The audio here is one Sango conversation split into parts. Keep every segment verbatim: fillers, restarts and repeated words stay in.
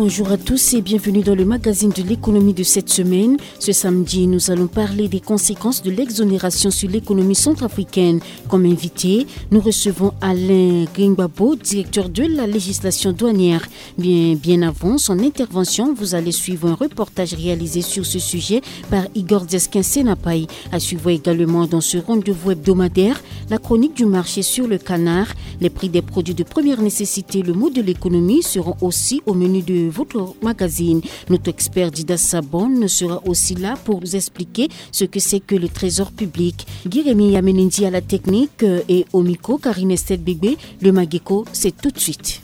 Bonjour à tous et bienvenue dans le magazine de l'économie de cette semaine. Ce samedi, nous allons parler des conséquences de l'exonération sur l'économie centrafricaine. Comme invité, nous recevons Alain Gringbabo, directeur de la législation douanière. Bien, bien avant son intervention, vous allez suivre un reportage réalisé sur ce sujet par Igor Diaskin Senapai. À suivre également dans ce rendez-vous hebdomadaire, la chronique du marché sur le canard, les prix des produits de première nécessité, le mot de l'économie seront aussi au menu de votre magazine. Notre expert Dida Sabon sera aussi là pour vous expliquer ce que c'est que le trésor public. Guy Rémy Yamenendi à la technique, euh, et au micro, Karine Estelle Bébé. Le Mageko, c'est tout de suite.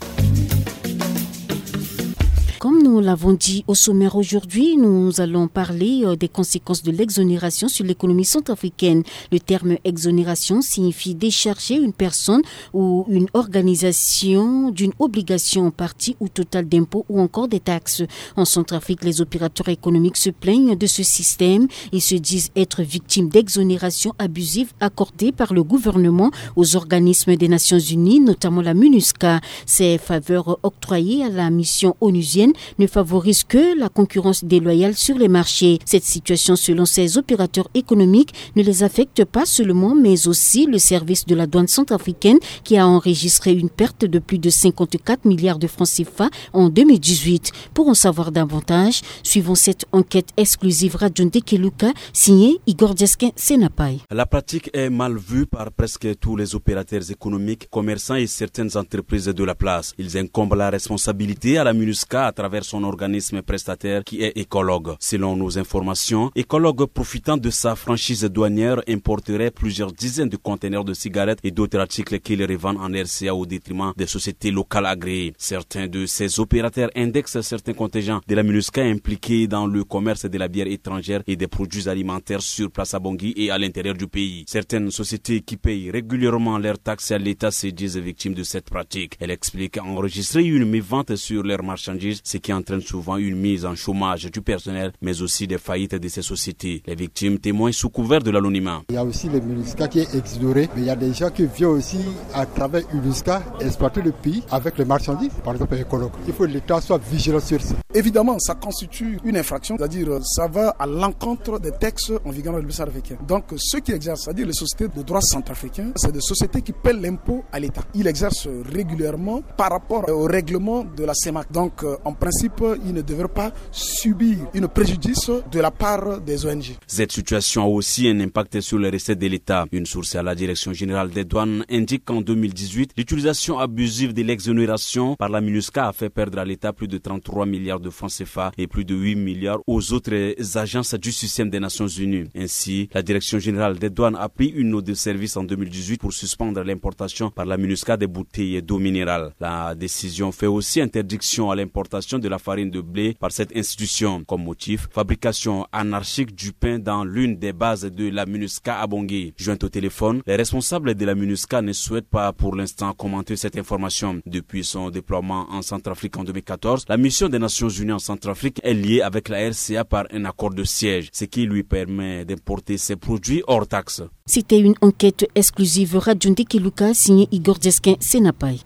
Comme nous l'avons dit au sommaire aujourd'hui, nous allons parler, euh, des conséquences de l'exonération sur l'économie centrafricaine. Le terme exonération signifie décharger une personne ou une organisation d'une obligation en partie ou totale d'impôts ou encore des taxes. En Centrafrique, les opérateurs économiques se plaignent de ce système. Ils se disent être victimes d'exonérations abusives accordées par le gouvernement aux organismes des Nations Unies, notamment la MINUSCA. Ces faveurs octroyées à la mission onusienne ne favorisent que la concurrence déloyale sur les marchés. Cette situation, selon ces opérateurs économiques, ne les affecte pas seulement, mais aussi le service de la douane centrafricaine qui a enregistré une perte de plus de cinquante-quatre milliards de francs C F A en deux mille dix-huit. Pour en savoir davantage, suivons cette enquête exclusive Radio Ndekeluka signée Igor Diaskin Senapai. La pratique est mal vue par presque tous les opérateurs économiques, commerçants et certaines entreprises de la place. Ils incombent la responsabilité à la MINUSCA à travers son organisme prestataire qui est Écologue. Selon nos informations, Écologue, profitant de sa franchise douanière, importerait plusieurs dizaines de conteneurs de cigarettes et d'autres articles qu'il revend en R C A au détriment des sociétés locales agréées. Certains de ces opérateurs indexent certains contingents de la MINUSCA impliqués dans le commerce de la bière étrangère et des produits alimentaires sur place à Bangui et à l'intérieur du pays. Certaines sociétés qui payent régulièrement leurs taxes à l'État se disent victimes de cette pratique. Elles expliquent enregistrer une mévente sur leurs marchandises, ce qui entraîne souvent une mise en chômage du personnel, mais aussi des faillites de ces sociétés. Les victimes témoignent sous couvert de l'anonymat. Il y a aussi les MINUSCA qui est exonéré, mais il y a des gens qui viennent aussi à travers MINUSCA exploiter le pays avec les marchandises, par exemple Écologue. Il faut que l'État soit vigilant sur ça. Évidemment, ça constitue une infraction, c'est-à-dire, euh, ça va à l'encontre des textes en vigueur dans le pays centrafricain. Donc, ceux qui exercent, c'est-à-dire les sociétés de droit centrafricain, c'est des sociétés qui paient l'impôt à l'État. Ils exercent régulièrement par rapport au règlement de la CEMAC. Donc, euh, en principe, ils ne devraient pas subir un préjudice de la part des O N G. Cette situation a aussi un impact sur les recettes de l'État. Une source à la Direction générale des douanes indique qu'en deux mille dix-huit, l'utilisation abusive de l'exonération par la MINUSCA a fait perdre à l'État plus de trente-trois milliards de francs C F A et plus de huit milliards aux autres agences du système des Nations Unies. Ainsi, la Direction générale des douanes a pris une note de service en deux mille dix-huit pour suspendre l'importation par la MINUSCA des bouteilles d'eau minérale. La décision fait aussi interdiction à l'importation de la farine de blé par cette institution. Comme motif, fabrication anarchique du pain dans l'une des bases de la MINUSCA à Bangui. Jointe au téléphone, les responsables de la MINUSCA ne souhaitent pas pour l'instant commenter cette information. Depuis son déploiement en Centrafrique en deux mille quatorze, la mission des Nations Unies en Centrafrique est liée avec la R C A par un accord de siège, ce qui lui permet d'importer ses produits hors taxe. C'était une enquête exclusive Radio Ndekeluka signée Igor Diaskin Senapai.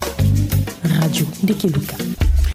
Radio Ndekeluka.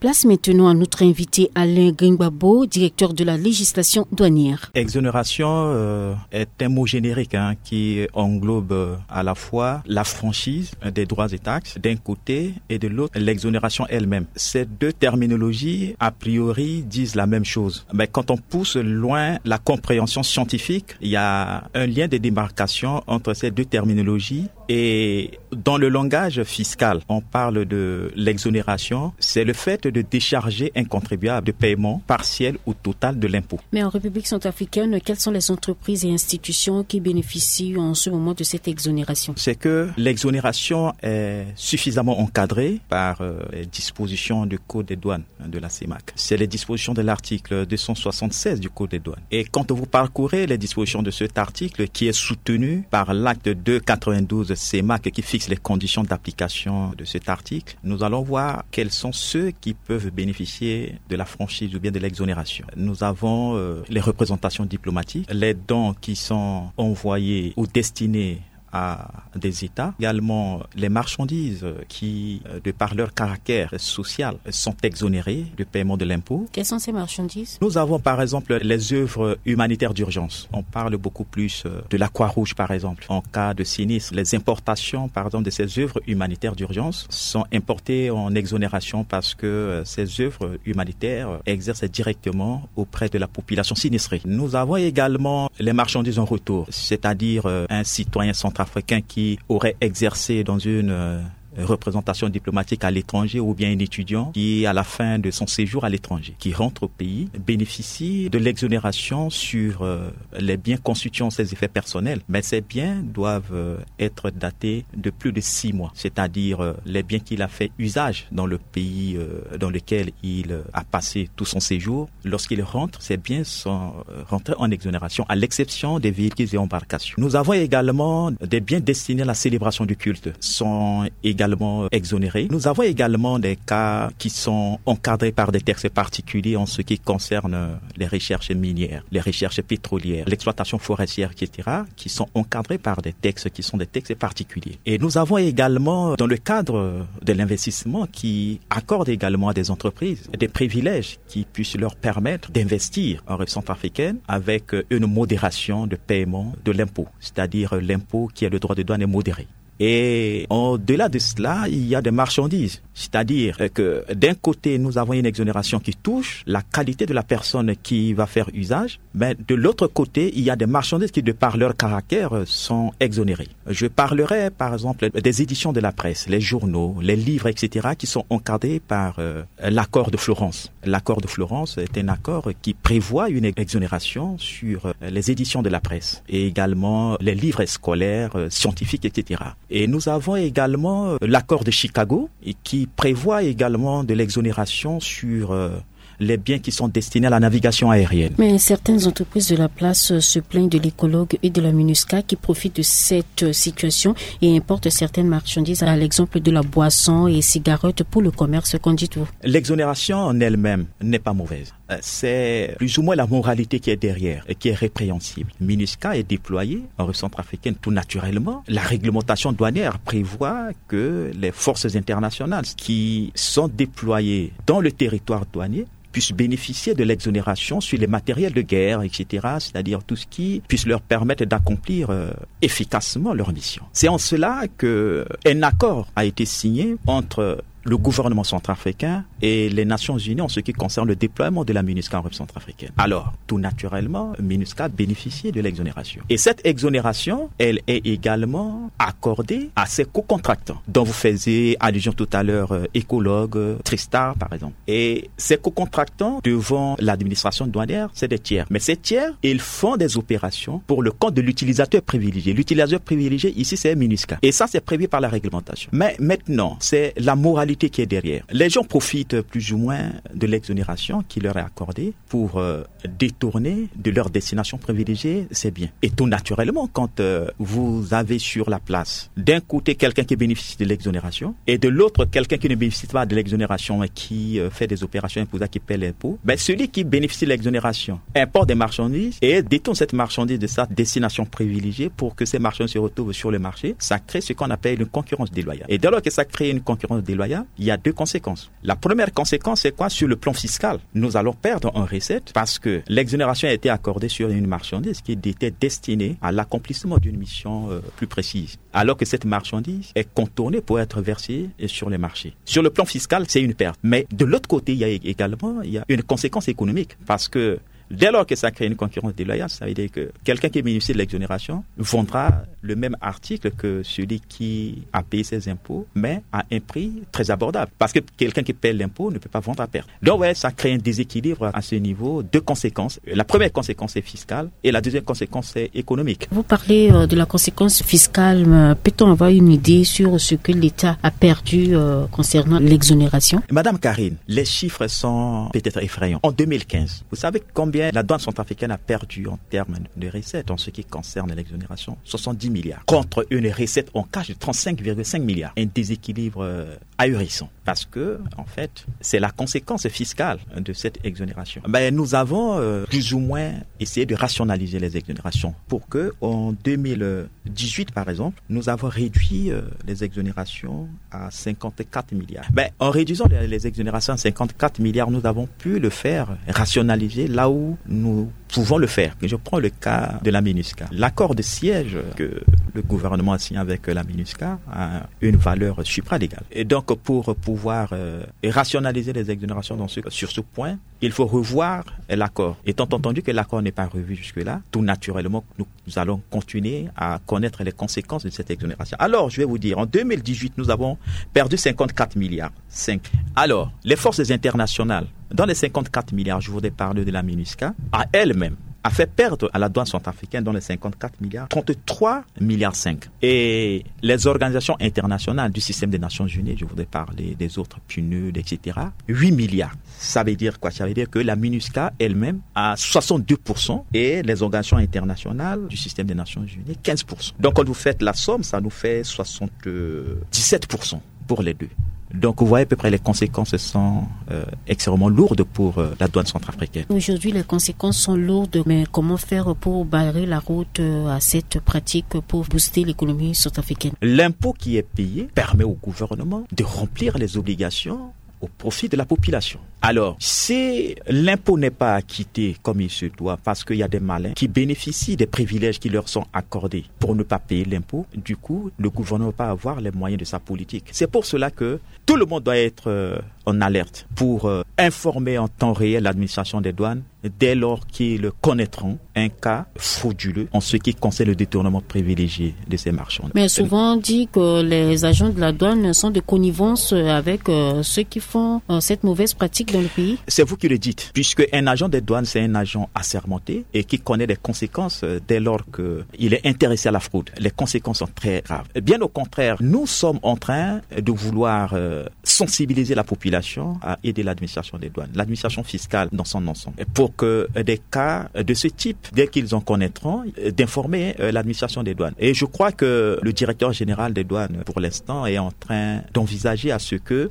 Place maintenant à notre invité Alain Gringbabo, directeur de la législation douanière. Exonération, euh, est un mot générique, hein, qui englobe, euh, à la fois la franchise, euh, des droits et taxes d'un côté et de l'autre l'exonération elle-même. Ces deux terminologies, a priori, disent la même chose. Mais quand on pousse loin la compréhension scientifique, il y a un lien de démarcation entre ces deux terminologies. Et dans le langage fiscal, on parle de l'exonération. C'est le fait de décharger un contribuable de paiement partiel ou total de l'impôt. Mais en République centrafricaine, quelles sont les entreprises et institutions qui bénéficient en ce moment de cette exonération ? C'est que l'exonération est suffisamment encadrée par, euh, les dispositions du Code des douanes de la CEMAC. C'est les dispositions de l'article deux cent soixante-seize du Code des douanes. Et quand vous parcourez les dispositions de cet article, qui est soutenu par l'acte deux quatre-vingt-douze CEMAC, qui fixe les conditions d'application de cet article, nous allons voir quels sont ceux qui peuvent bénéficier de la franchise ou bien de l'exonération. Nous avons, euh, les représentations diplomatiques, les dons qui sont envoyés ou destinés à des États. Également, les marchandises qui, euh, de par leur caractère social, sont exonérées de paiement de l'impôt. Quelles sont ces marchandises ? Nous avons par exemple les œuvres humanitaires d'urgence. On parle beaucoup plus, euh, de la Croix-Rouge par exemple. En cas de sinistre, les importations par exemple de ces œuvres humanitaires d'urgence sont importées en exonération parce que, euh, ces œuvres humanitaires, euh, exercent directement auprès de la population sinistrée. Nous avons également les marchandises en retour, c'est-à-dire, euh, un citoyen centrafricain qui aurait exercé dans une, euh, représentation diplomatique à l'étranger ou bien un étudiant qui, à la fin de son séjour à l'étranger, qui rentre au pays, bénéficie de l'exonération sur, euh, les biens constituant ses effets personnels. Mais ces biens doivent, euh, être datés de plus de six mois, c'est-à-dire, euh, les biens qu'il a fait usage dans le pays, euh, dans lequel il, euh, a passé tout son séjour. Lorsqu'il rentre, ces biens sont, euh, rentrés en exonération, à l'exception des véhicules et embarcations. Nous avons également des biens destinés à la célébration du culte, sont également, euh, exonérés. Nous avons également des cas qui sont encadrés par des textes particuliers en ce qui concerne, euh, les recherches minières, les recherches pétrolières, l'exploitation forestière, et cetera, qui sont encadrés par des textes qui sont des textes particuliers. Et nous avons également, dans le cadre de l'investissement, qui accorde également à des entreprises des privilèges qui puissent leur permettre d'investir en République centrafricaine avec, euh, une modération de paiement de l'impôt, c'est-à-dire, euh, l'impôt qui est le droit de douane est modéré. Et au-delà de cela, il y a des marchandises. C'est-à-dire, euh, que d'un côté, nous avons une exonération qui touche la qualité de la personne qui va faire usage, mais de l'autre côté, il y a des marchandises qui, de par leur caractère, euh, sont exonérées. Je parlerai, par exemple, des éditions de la presse, les journaux, les livres, et cetera, qui sont encadrés par, euh, l'accord de Florence. L'accord de Florence est un accord qui prévoit une exonération sur, euh, les éditions de la presse et également les livres scolaires, euh, scientifiques, et cetera. Et nous avons également, euh, l'accord de Chicago et qui prévoit également de l'exonération sur, euh, les biens qui sont destinés à la navigation aérienne. Mais certaines entreprises de la place, euh, se plaignent de l'écologue et de la MINUSCA qui profitent de cette, euh, situation et importent certaines marchandises, à l'exemple de la boisson et cigarettes pour le commerce, qu'en dites-vous ? L'exonération en elle-même n'est pas mauvaise. Euh, c'est plus ou moins la moralité qui est derrière et qui est répréhensible. MINUSCA est déployée en République centrafricaine tout naturellement. La réglementation douanière prévoit que les forces internationales qui sont déployées dans le territoire douanier puissent bénéficier de l'exonération sur les matériels de guerre, et cetera, c'est-à-dire tout ce qui puisse leur permettre d'accomplir, euh, efficacement leur mission. C'est en cela que un accord a été signé entre le gouvernement centrafricain et les Nations Unies en ce qui concerne le déploiement de la MINUSCA en République centrafricaine. Alors, tout naturellement, MINUSCA bénéficie de l'exonération. Et cette exonération, elle est également accordée à ses co-contractants, dont vous faisiez allusion tout à l'heure, euh, Ecolog, euh, Tristar, par exemple. Et ces co-contractants devant l'administration douanière, c'est des tiers. Mais ces tiers, ils font des opérations pour le compte de l'utilisateur privilégié. L'utilisateur privilégié, ici, c'est MINUSCA. Et ça, c'est prévu par la réglementation. Mais maintenant, c'est la moralité qui est derrière. Les gens profitent plus ou moins de l'exonération qui leur est accordée pour, euh, détourner de leur destination privilégiée ces biens. Et tout naturellement, quand, euh, vous avez sur la place, d'un côté, quelqu'un qui bénéficie de l'exonération, et de l'autre, quelqu'un qui ne bénéficie pas de l'exonération, mais qui, euh, fait des opérations imposables, qui paie l'impôt, ben, celui qui bénéficie de l'exonération importe des marchandises et détourne cette marchandise de sa destination privilégiée pour que ces marchandises se retrouvent sur le marché. Ça crée ce qu'on appelle une concurrence déloyale. Et dès lors que ça crée une concurrence déloyale, il y a deux conséquences. La première conséquence, c'est quoi ? Sur le plan fiscal, nous allons perdre en recettes parce que l'exonération a été accordée sur une marchandise qui était destinée à l'accomplissement d'une mission, euh, plus précise, alors que cette marchandise est contournée pour être versée sur les marchés. Sur le plan fiscal, c'est une perte. Mais de l'autre côté, il y a également, il y a une conséquence économique parce que dès lors que ça crée une concurrence déloyale, ça veut dire que quelqu'un qui bénéficie de l'exonération vendra le même article que celui qui a payé ses impôts, mais à un prix très abordable. Parce que quelqu'un qui paie l'impôt ne peut pas vendre à perte. Donc, ouais, ça crée un déséquilibre à ce niveau. Deux conséquences. La première conséquence est fiscale et la deuxième conséquence est économique. Vous parlez, euh, de la conséquence fiscale, mais peut-on avoir une idée sur ce que l'État a perdu, euh, concernant l'exonération ? Madame Karine, les chiffres sont peut-être effrayants. En deux mille quinze, vous savez combien La douane centrafricaine a perdu en termes de recettes en ce qui concerne l'exonération soixante-dix milliards contre une recette en cash de trente-cinq virgule cinq milliards. Un déséquilibre euh, ahurissant parce que, en fait, c'est la conséquence fiscale de cette exonération. Ben, nous avons euh, plus ou moins essayé de rationaliser les exonérations pour que, en deux mille dix-huit, par exemple, nous avons réduit euh, les exonérations à cinquante-quatre milliards. Ben, en réduisant les, les exonérations à cinquante-quatre milliards, nous avons pu le faire rationaliser là où nous pouvons le faire. Je prends le cas de la MINUSCA. L'accord de siège que le gouvernement a signé avec la MINUSCA a une valeur supralégale. Et donc, pour pouvoir euh, rationaliser les exonérations dans ce, sur ce point, il faut revoir l'accord. Étant entendu que l'accord n'est pas revu jusque-là, tout naturellement, nous, nous allons continuer à connaître les conséquences de cette exonération. Alors, je vais vous dire, en deux mille dix-huit, nous avons perdu cinquante-quatre milliards. Cinq. Alors, les forces internationales, dans les cinquante-quatre milliards, je voudrais parler de la MINUSCA, à elle-même, a fait perdre à la douane centrafricaine, dans les cinquante-quatre milliards, trente-trois milliards cinq. Et les organisations internationales du système des Nations Unies, je voudrais parler des autres, PNUD, et cetera, huit milliards. Ça veut dire quoi ? Ça veut dire que la MINUSCA elle-même a soixante-deux pour cent et les organisations internationales du système des Nations Unies, quinze pour cent. Donc, quand vous faites la somme, ça nous fait soixante-dix-sept pour cent pour les deux. Donc, vous voyez à peu près les conséquences sont euh, extrêmement lourdes pour euh, la douane centrafricaine. Aujourd'hui, les conséquences sont lourdes, mais comment faire pour barrer la route euh, à cette pratique pour booster l'économie centrafricaine ? L'impôt qui est payé permet au gouvernement de remplir les obligations au profit de la population. Alors, si l'impôt n'est pas acquitté comme il se doit, parce qu'il y a des malins qui bénéficient des privilèges qui leur sont accordés pour ne pas payer l'impôt, du coup, le gouvernement va pas avoir les moyens de sa politique. C'est pour cela que tout le monde doit être euh, en alerte pour euh, informer en temps réel l'administration des douanes dès lors qu'ils connaîtront un cas frauduleux en ce qui concerne le détournement privilégié de ces marchands. Mais souvent on dit que les agents de la douane sont de connivence avec euh, ceux qui font euh, cette mauvaise pratique dans le pays. C'est vous qui le dites, puisque un agent des douanes, c'est un agent assermenté et qui connaît les conséquences euh, dès lors qu'il est intéressé à la fraude. Les conséquences sont très graves. Bien au contraire, nous sommes en train de vouloir euh, sensibiliser la population à aider l'administration des douanes, l'administration fiscale dans son ensemble, pour que des cas de ce type, dès qu'ils en connaîtront, d'informer l'administration des douanes. Et je crois que le directeur général des douanes, pour l'instant, est en train d'envisager à ce que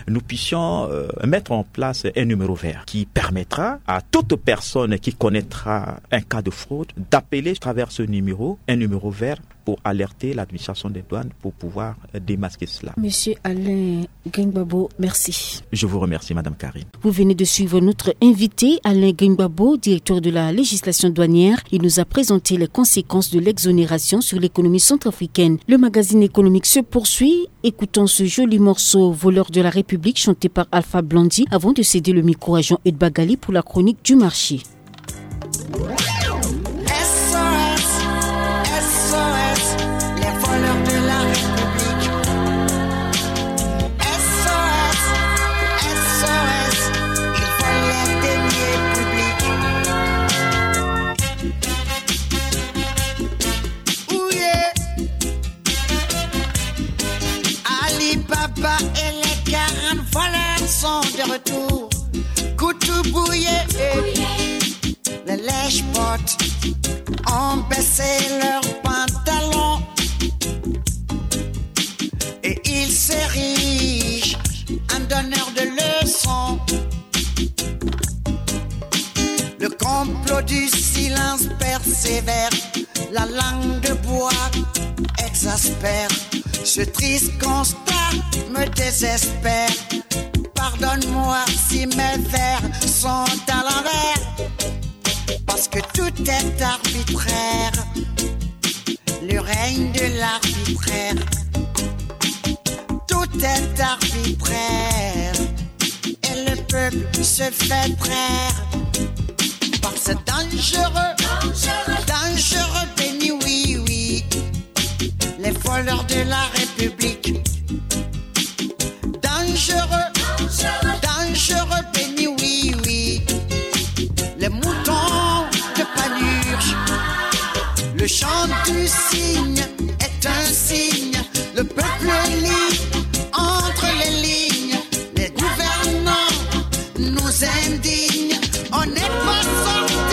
nous puissions euh, mettre en place un numéro vert qui permettra à toute personne qui connaîtra un cas de fraude d'appeler à travers ce numéro, un numéro vert pour alerter l'administration des douanes pour pouvoir démasquer cela. Monsieur Alain Gringbabo, merci. Je vous remercie, Madame Karine. Vous venez de suivre notre invité, Alain Gringbabo, directeur de la législation douanière. Il nous a présenté les conséquences de l'exonération sur l'économie centrafricaine. Le magazine économique se poursuit. Écoutons ce joli morceau, Voleur de la République, chanté par Alpha Blondy, avant de céder le micro à Jean-Eudes Bagali pour la chronique du marché. S O S, S O S, les voleurs de la République. S O S, S O S, ils volent les deniers publics. Ouh yeah. Ali Baba et les quarante voleurs sont de retour. Koutoubouye, les lèche-bottes ont baissé leurs pantalons et ils s'érigent en donneurs de leçons. Le complot du silence persévère, la langue de bois exaspère. Ce triste constat me désespère. Pardonne-moi si mes vers sont à l'envers, parce que tout est arbitraire. Le règne de l'arbitraire, tout est arbitraire, et le peuple se fait traire par ce dangereux, dangereux béni, oui, oui, les voleurs de la République. Dangereux, dangereux béni, oui, oui, les moutons de Panurge. Le chant du cygne est un signe. Le peuple lit entre les lignes. Les gouvernants nous indignent. On n'est pas sorti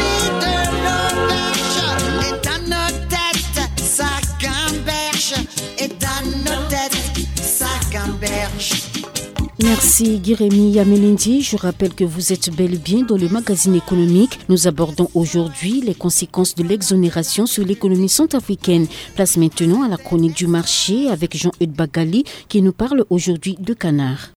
Merci Guy-Rémy Yamelendi. Je rappelle que vous êtes bel et bien dans le magazine économique. Nous abordons aujourd'hui les conséquences de l'exonération sur l'économie centrafricaine. Place maintenant à la chronique du marché avec Jean-Eudes Bagali qui nous parle aujourd'hui de canard.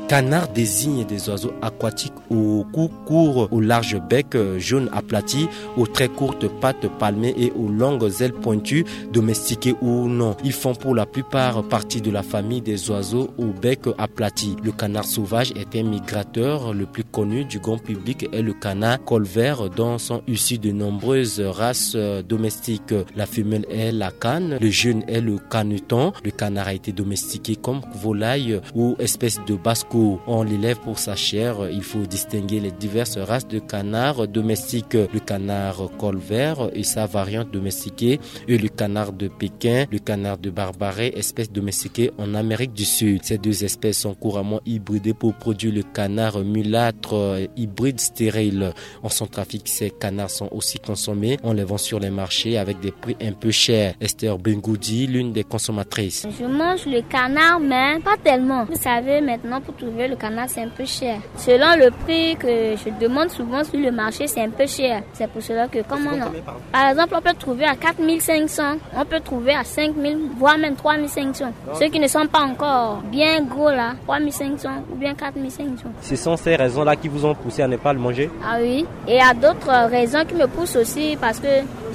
Canard désigne des oiseaux aquatiques aux coups courts, aux larges becs, euh, jaunes aplatis, aux très courtes pattes palmées et aux longues ailes pointues, domestiqués ou non. Ils font pour la plupart partie de la famille des oiseaux au bec aplati. Le canard sauvage est un migrateur, le plus connu du grand public est le canard col vert, dont sont issues de nombreuses races, euh, domestiques. La femelle est la cane, le jeune est le caneton. Le canard a été domestiqué comme volaille ou espèce de basse-cour. On l'élève pour sa chair. Il faut distinguer les diverses races de canards domestiques. Le canard col vert et sa variante domestiquée et le canard de Pékin, le canard de Barbarie, espèce domestiquée en Amérique du Sud. Ces deux espèces sont couramment hybridées pour produire le canard mulâtre, euh, hybride stérile. En Centrafrique, ces canards sont aussi consommés. On les vend sur les marchés avec des prix un peu chers. Esther Bengoudi, l'une des consommatrices. Je mange le canard, mais pas tellement. Vous savez, maintenant, pour trouver le canard, c'est un peu cher. Selon le prix que je demande souvent sur le marché, c'est un peu cher. C'est pour cela que, comme on a, par exemple, on peut trouver à quatre mille cinq cents, on peut trouver à cinq mille, voire même trois mille cinq cents. Ceux qui ne sont pas encore bien gros là, trois mille cinq cents ou bien quatre mille cinq cents. Ce sont ces raisons-là qui vous ont poussé à ne pas le manger ? Ah oui. Et il y a d'autres raisons qui me poussent aussi, parce que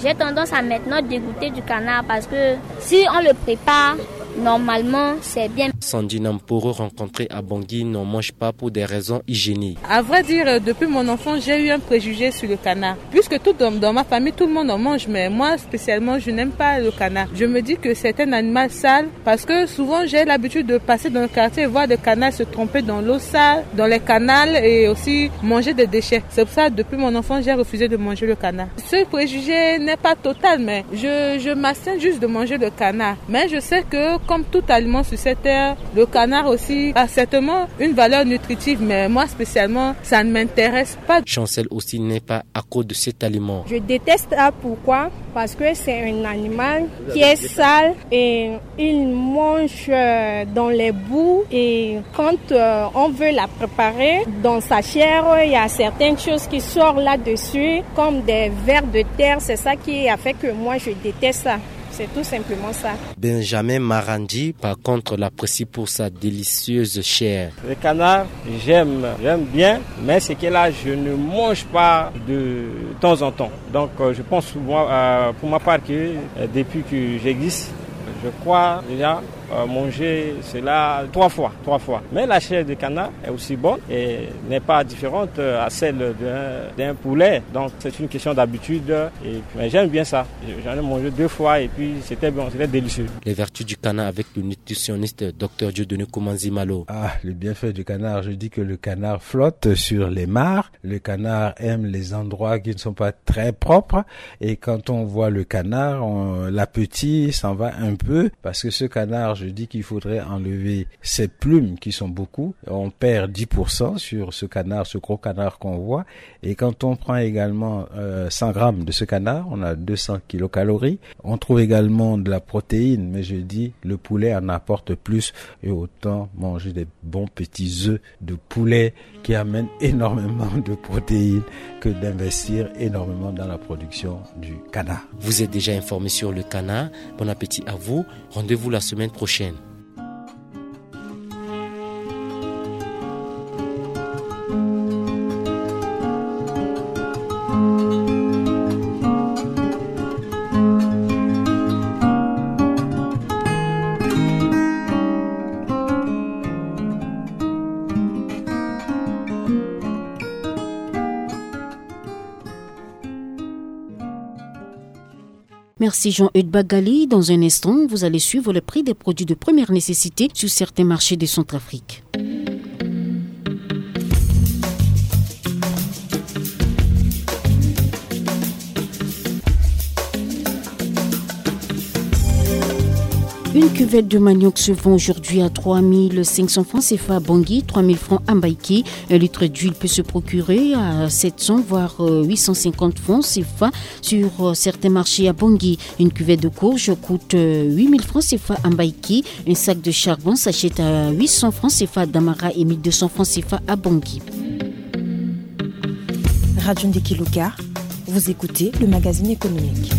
j'ai tendance à maintenant dégoûter du canard, parce que si on le prépare normalement, c'est bien. Sandy Namporo, rencontré à Bangui, n'en mange pas pour des raisons hygiéniques. À vrai dire, depuis mon enfance, j'ai eu un préjugé sur le canard. Puisque tout dans, dans ma famille, tout le monde en mange, mais moi spécialement, je n'aime pas le canard. Je me dis que c'est un animal sale, parce que souvent, j'ai l'habitude de passer dans le quartier et voir des canards se tromper dans l'eau sale, dans les canals, et aussi manger des déchets. C'est pour ça, depuis mon enfance, j'ai refusé de manger le canard. Ce préjugé n'est pas total, mais je, je m'abstiens juste de manger le canard. Mais je sais que, comme tout aliment sur cette terre, le canard aussi a certainement une valeur nutritive, mais moi spécialement, ça ne m'intéresse pas. Chancel aussi n'est pas à cause de cet aliment. Je déteste ça. Pourquoi ? Parce que c'est un animal qui est sale et il mange, euh, dans les boues, et quand, euh, on veut la préparer, dans sa chair, il y a certaines choses qui sortent là-dessus, comme des vers de terre. C'est ça qui a fait que moi, je déteste ça. C'est tout simplement ça. Benjamin Marandi, par contre, l'apprécie pour sa délicieuse chair. Le canard, j'aime, j'aime bien, mais c'est que là, je ne mange pas de temps en temps. Donc, euh, je pense souvent, euh, pour ma part, que, euh, depuis que j'existe, je crois déjà, euh, manger cela trois fois, trois fois. Mais la chair de canard est aussi bonne et n'est pas différente, euh, à celle d'un, d'un poulet. Donc, c'est une question d'habitude. Et, mais j'aime bien ça. J'en ai mangé deux fois et puis c'était bon, c'était délicieux. Les vertus du canard avec le nutritionniste docteur Dieudonné Komanzi Malo. Ah, le bienfait du canard, je dis que le canard flotte sur les mares. Le canard aime les endroits qui ne sont pas très propres. Et quand on voit le canard, on, l'appétit s'en va un peu. Parce que ce canard, je dis qu'il faudrait enlever ses plumes qui sont beaucoup. On perd dix pour cent sur ce canard, ce gros canard qu'on voit. Et quand on prend également, euh, cent grammes de ce canard, on a deux cents kilocalories. On trouve également de la protéine, mais je dis, le poulet en apporte plus et autant manger des bons petits œufs de poulet qui amènent énormément de protéines que d'investir énormément dans la production du canard. Vous êtes déjà informé sur le canard. Bon appétit à vous. Rendez-vous la semaine prochaine. Merci Jean-Eudes Bagali. Dans un instant, vous allez suivre le prix des produits de première nécessité sur certains marchés de Centrafrique. Une Cuvette de manioc se vend aujourd'hui à trois mille cinq cents francs C F A à Bangui, trois mille francs à Mbaïké. Un litre d'huile peut se procurer à sept cents voire, euh, huit cent cinquante francs C F A sur, euh, certains marchés à Bangui. Une cuvette de courge coûte, euh, huit mille francs C F A à Mbaïké. Un sac de charbon s'achète à huit cents francs C F A à Damara et mille deux cents francs C F A à Bangui. Radio Ndeki Luka, vous écoutez le magazine économique.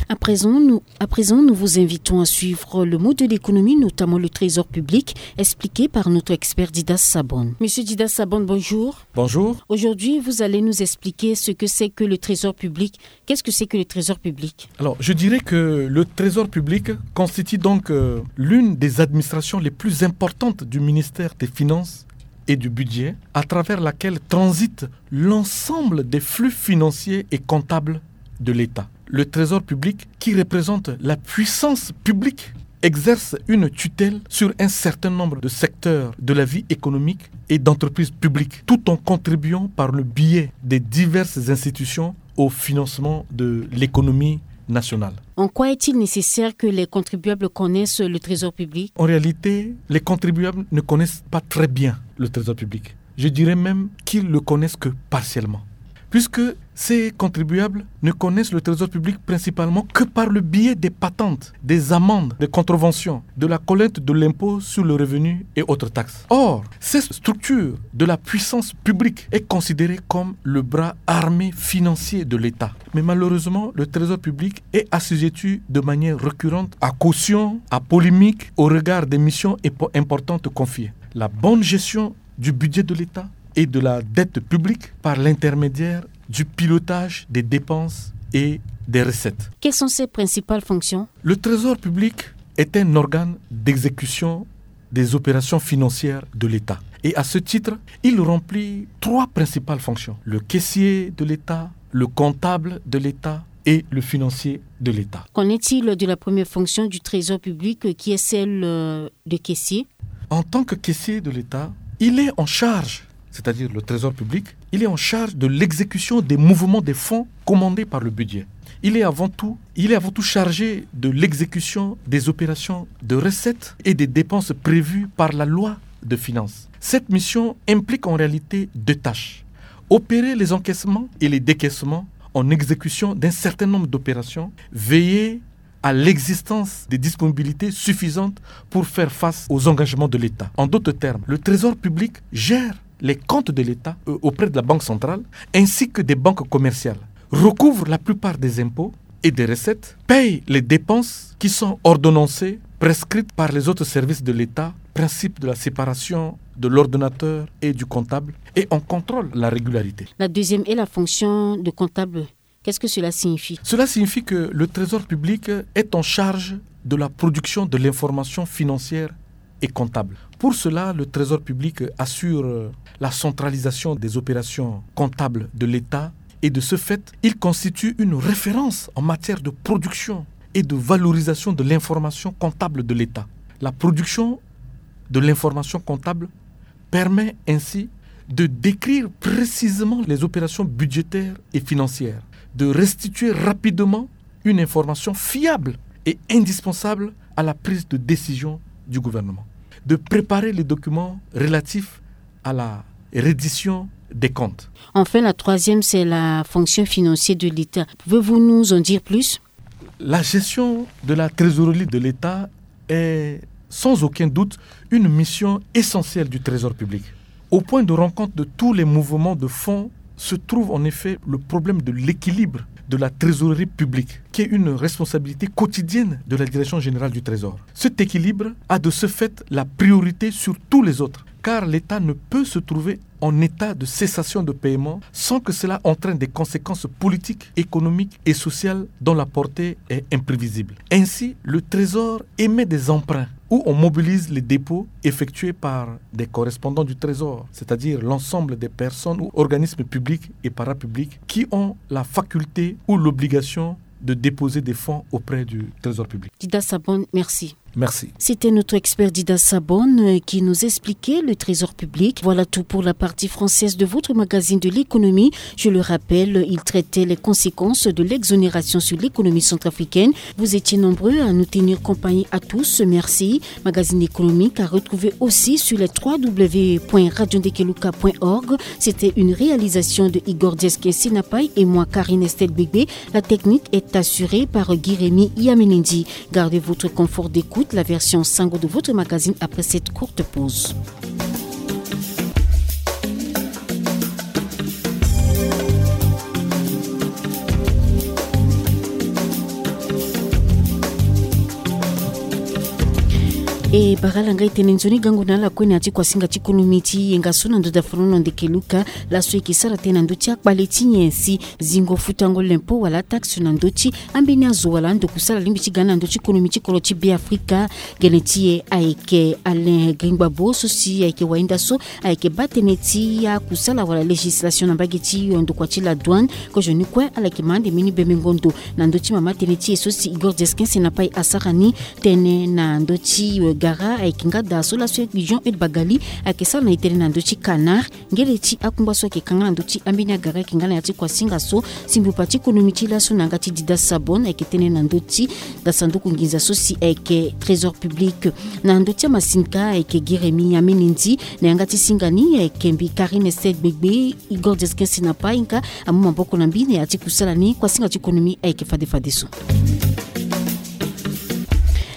À présent, nous, à présent, nous vous invitons à suivre le mot de l'économie, notamment le trésor public, expliqué par notre expert Didas Sabon. Monsieur Didas Sabon, bonjour. Bonjour. Aujourd'hui, vous allez nous expliquer ce que c'est que le trésor public. Qu'est-ce que c'est que le trésor public ? Alors, je dirais que le trésor public constitue donc, euh, l'une des administrations les plus importantes du ministère des Finances et du Budget, à travers laquelle transite l'ensemble des flux financiers et comptables de l'État. Le trésor public, qui représente la puissance publique, exerce une tutelle sur un certain nombre de secteurs de la vie économique et d'entreprises publiques, tout en contribuant par le biais des diverses institutions au financement de l'économie nationale. En quoi est-il nécessaire que les contribuables connaissent le trésor public ? En réalité, les contribuables ne connaissent pas très bien le trésor public. Je dirais même qu'ils le connaissent que partiellement. Puisque ces contribuables ne connaissent le trésor public principalement que par le biais des patentes, des amendes, des contraventions, de la collecte de l'impôt sur le revenu et autres taxes. Or, cette structure de la puissance publique est considérée comme le bras armé financier de l'État. Mais malheureusement, le trésor public est assujetti de manière récurrente à caution, à polémique, au regard des missions épo-, importantes confiées. La bonne gestion du budget de l'État et de la dette publique par l'intermédiaire du pilotage des dépenses et des recettes. Quelles sont ses principales fonctions ? Le trésor public est un organe d'exécution des opérations financières de l'État. Et à ce titre, il remplit trois principales fonctions : le caissier de l'État, le comptable de l'État et le financier de l'État. Qu'en est-il de la première fonction du trésor public, euh, qui est celle, euh, de caissier ? En tant que caissier de l'État, il est en charge, c'est-à-dire le trésor public, il est en charge de l'exécution des mouvements des fonds commandés par le budget. Il est avant tout, il est avant tout chargé de l'exécution des opérations de recettes et des dépenses prévues par la loi de finances. Cette mission implique en réalité deux tâches. Opérer les encaissements et les décaissements en exécution d'un certain nombre d'opérations, veiller à l'existence des disponibilités suffisantes pour faire face aux engagements de l'État. En d'autres termes, le trésor public gère les comptes de l'État, euh, auprès de la Banque centrale, ainsi que des banques commerciales, recouvre la plupart des impôts et des recettes, paye les dépenses qui sont ordonnancées, prescrites par les autres services de l'État, principe de la séparation de l'ordonnateur et du comptable, et en contrôle la régularité. La deuxième est la fonction de comptable. Qu'est-ce que cela signifie ? Cela signifie que le trésor public est en charge de la production de l'information financière et comptable. Pour cela, le trésor public assure, euh, la centralisation des opérations comptables de l'État et de ce fait, il constitue une référence en matière de production et de valorisation de l'information comptable de l'État. La production de l'information comptable permet ainsi de décrire précisément les opérations budgétaires et financières, de restituer rapidement une information fiable et indispensable à la prise de décision du gouvernement, de préparer les documents relatifs à la reddition des comptes. Enfin, la troisième, c'est la fonction financière de l'État. Pouvez-vous nous en dire plus ? La gestion de la trésorerie de l'État est sans aucun doute une mission essentielle du Trésor public. Au point de rencontre de tous les mouvements de fonds se trouve en effet le problème de l'équilibre de la trésorerie publique, qui est une responsabilité quotidienne de la Direction générale du Trésor. Cet équilibre a de ce fait la priorité sur tous les autres, car l'État ne peut se trouver en état de cessation de paiement sans que cela entraîne des conséquences politiques, économiques et sociales dont la portée est imprévisible. Ainsi, le Trésor émet des emprunts où on mobilise les dépôts effectués par des correspondants du Trésor, c'est-à-dire l'ensemble des personnes ou organismes publics et parapublics qui ont la faculté ou l'obligation de déposer des fonds auprès du Trésor public. Didas Sabon, merci. Merci. C'était notre expert Dida Sabon, euh, qui nous expliquait le trésor public. Voilà tout pour la partie française de votre magazine de l'économie. Je le rappelle, il traitait les conséquences de l'exonération sur l'économie centrafricaine. Vous étiez nombreux à nous tenir compagnie à tous. Merci. Magazine économique à retrouver aussi sur les trois w point radio ndekeluka point org. C'était une réalisation de Igor Dieske Sinapai et moi, Karine Estelle Bébé. La technique est assurée par Guy-Rémy Yamenendi. Gardez votre confort d'écoute, la version sango de votre magazine après cette courte pause. E bara ala ngai tene nzoni gango na ala kue na ya ti kuasinga ti konomi ti yenga so na ndö da folono ndeke luka. Laso e yeke sara tënë na ndö ti akpale ti nyen si zingo futango lempo wala ataxe na ndö ti ambeni azo wala ando kusala alingbi ti ga na ndö ti konomi ti kodro ti Beafrika. Gene ti e ayeke Alain Gringbabo so si ayeke wahinda so ayeke baa tënë ti akusala wala législation na mbage ti ndokua ti la douane. Kozoni kue ala yeke ma ande mbeni bembengo ndo na ndö ti mama tënë ti e so si Igor Dieske Sinapai asara ni. Tënë na ndö ti gara ayeke nga daa so laso Jean Eudes Bagali ayeke sara na e tënë na ndö ti Canard. Ngele ti akungba so ayeke kanga na ndö ti ambeni agara ayeke nga na ya ti kuasinga so si mbupa ti konomi ti laso na yanga ti Dida Sabon ayeke tënë na ndö ti da sanduku nginza so si ayeke trésor public. Na ndö ti amasinga ayeke Guy-Rémy Yamenendi. Na yanga ti singa ni ayeke mbi Karine Estelle Gbegbe. Igor Dieske Sinapai nga amu maboko na mbi na ya ti kusala ni. Kuasinga ti konomi ayeke fade fadeso.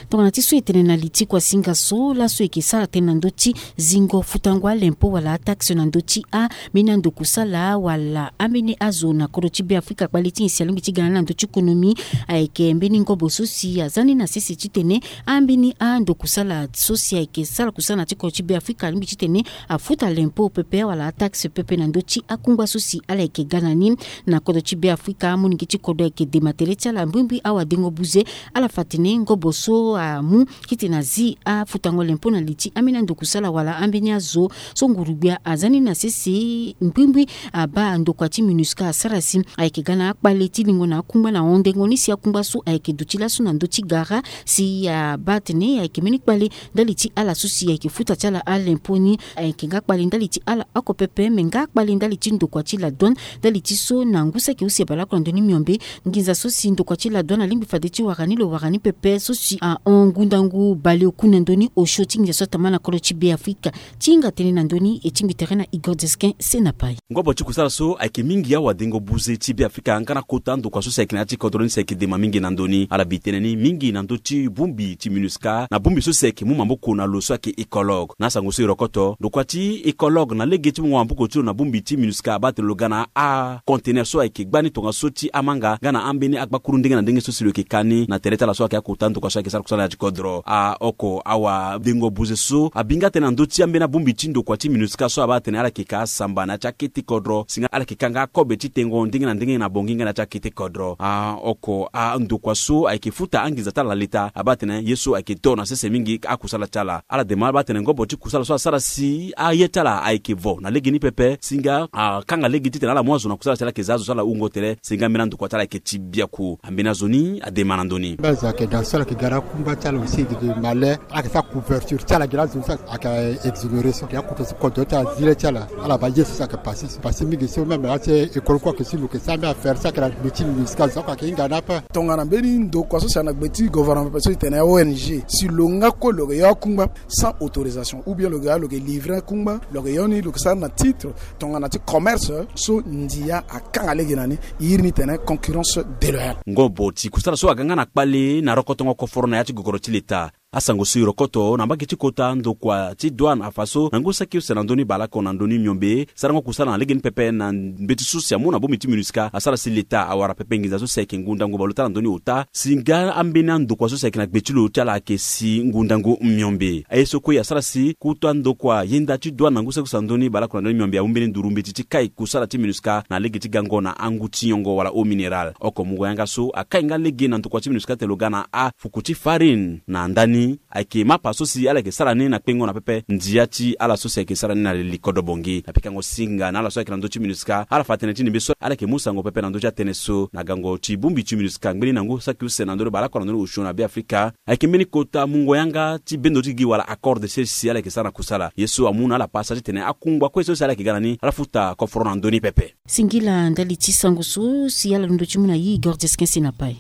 Tongana ti so e tene na li ti kuasinga so laso e yeke sara tënë na ndö ti zingo futango alempo wala ataxe na ndö ti ambeni ando kusala wala ambeni azo na kodro ti Beafrika kpale ti nyen si alingbi ti ga na ndö ti konomi. Ayeke mbeni ngobo so si aza ni na sese titene ambeni ando kusala so si ayeke sara kusala na ti kodro ti Beafrika alingbi titene afuta lempo pepe wala ataxe pepe na ndö ti akungba so si ala yeke ga na ni. Na kodro ti Beafrika amolenge ti kodro ayeke dema tere ti ala mbrimbri awadengo buze. Ala fa atene ngobo so amu titene azi afutango lempo na li ti ambeni ando kusala wala ambeni azo so nguru-gbia aza ni na sese mbrimbri. Abaa ndokua ti MINUSCA asara si ayeke ga na akpale ti lingo na akungba na hondengo ni si akungba so ayeke duti laso na ndö ti gara si abaa atene ayeke mbeni kpale ndali ti ala so si ayeke futa ti ala alempo ni. Ayeke nga kpale ndali ti ala oko pepe me nga kpale ndali ti ndokua ti la douane. Ndali ti so na ngu saki use baleoko na ndö ni miombe. Nginza so si ndokua ti la douane alingbi fade ti wara ni lo wara ni pepe so si ahon ngundangu baleoku na ndö ni osio ti nginza so atama na kodro ti Beafrika. Ti hinga tënë na ndö ni e tingbi tere na Igor Dieske Sinapai. Ngobo ti kusala so ayeke mingi awadengo buze ti Beafrika nga na kota ndokua so si ayeke na ya ti kodro ni si ayeke dema mingi na ndö ni. Ala bi tënë ni mingi na ndö ti bongbi ti MINUSCA na bongbi so si ayeke mu maboko na lo so ayeke Ecologue. Na asango so e rokoto ndokua ti Ecologue na lege ti mungo maboko ti lo na bongbi ti MINUSCA abaa tene lo ga na acontener so ayeke gbani tongaso ti amanga nga na ambeni agbakuru ndenge na ndenge so si lo yeke ka ni na tere ti ala so ayeke akota ndokua so ayeke sara kusala na ya ti kodro. Aoko awadengo buze so abi nga tënë na ndö ti ambeni abongbi ti ndokua ti MINUSCA so abaa tene ala yeke ka asamba na ya ti akete kodro si nga ala yeke ka nga akobe ti tengo ndenge na ndenge na bongi nga na ya ti akete kodro. Aoko andokua so ayeke futa anginza ti ala na leta abaa tene ye so ayeke to na sese mingi akusala ti ala. Ala dema abaa tene ngobo ti kusala so asara si aye ti ala ayeke vo na lege ni pepe si nga akanga lege titene ala mu azo na kusala ti ala ayeke za azo so ala wungo tere si nga mbeni andokua ti ala ayeke ti biaku. Ambeni azo ni adema na ndö ni. Mbi azo ayeke da so ala yeke ga na akungba ti ala aussi e yeke ma le ala yeke sara couverture ti ala gi na azo so ayeke exonéré so ayeke akoto so kodro ti ala zi le ti ala. Ala baa ye so si ayeke pase so pase mingi so même la ti Ecologue kue ayeke si lo yeke sara mbeni affaire so ayeke na gbe ti MINUSCA zo oko ayeke hinga ni ape. Tongana mbeni ndokua so si ayeke na gbe ti gouvernement pepe so e tene O N G si lo nga kue lo yeke yo akungba sans autorisation ou bien lo yeke ya lo yeke livrer akungba lo yeke yo ni lo yeke sara na titre tongana ti commerce so ndia akanga lege na ni. E iri ni tene concurrence déloyale. Ngobo ti kusala so aga nga na kpale na rokotongo koforo na ya ti gogoro ti leta. Asango so e rokoto na mbage ti kota ndokua ti douane afa so na ngu saki use na ndö ni baleoko na ndö ni miombe sarango kusala na lege ni pepe na mbeti so si amu na bongbi ti MINUSCA asara si leta awara pepe nginza so si ayeke ngundangu baleota na ndö ni ota si nga ambeni andokua so si ayeke na gbe ti lo ti ala ayeke si ngundangu miombe. Aye so kue asara si kuta ndokua yenda ti douane na ngu saki use na ndö ni baleoko na ndö ni miombe amu mbeni nduru mbeti ti kai kusala ti MINUSCA na lege ti gango na angu ti nyongo wala eau minérale. Oko mungo yanga so akai nga lege na ndokua ti MINUSCA tene lo ga na afuku ti farine na ndani Ayeke mapa so si ala yeke sara ni na kpengo na pepe ndia ti ala so si ayeke sara ni na li kodro bongi na pikango singa na ala so ayeke na ndö ti minusca. Ala fa tënë ti ndembe so ala yeke mu sango pepe na ndö ti atënë so na gango ti bongbi ti minusca ngbeni na ngu saki use na ndö ti baleoko na ndö ni osio na be afrika. Ayeke mbeni kota mungo yanga ti bendo ti gi wala accord de sese si ala yeke sara na kusala ye so amu na ala pasa titene akungba kue so si ala yeke ga na ni ala futa koforo na ndö ni pepe. Singila ndali ti sango so si ala londo ti mu na yi gorges kensi na pai.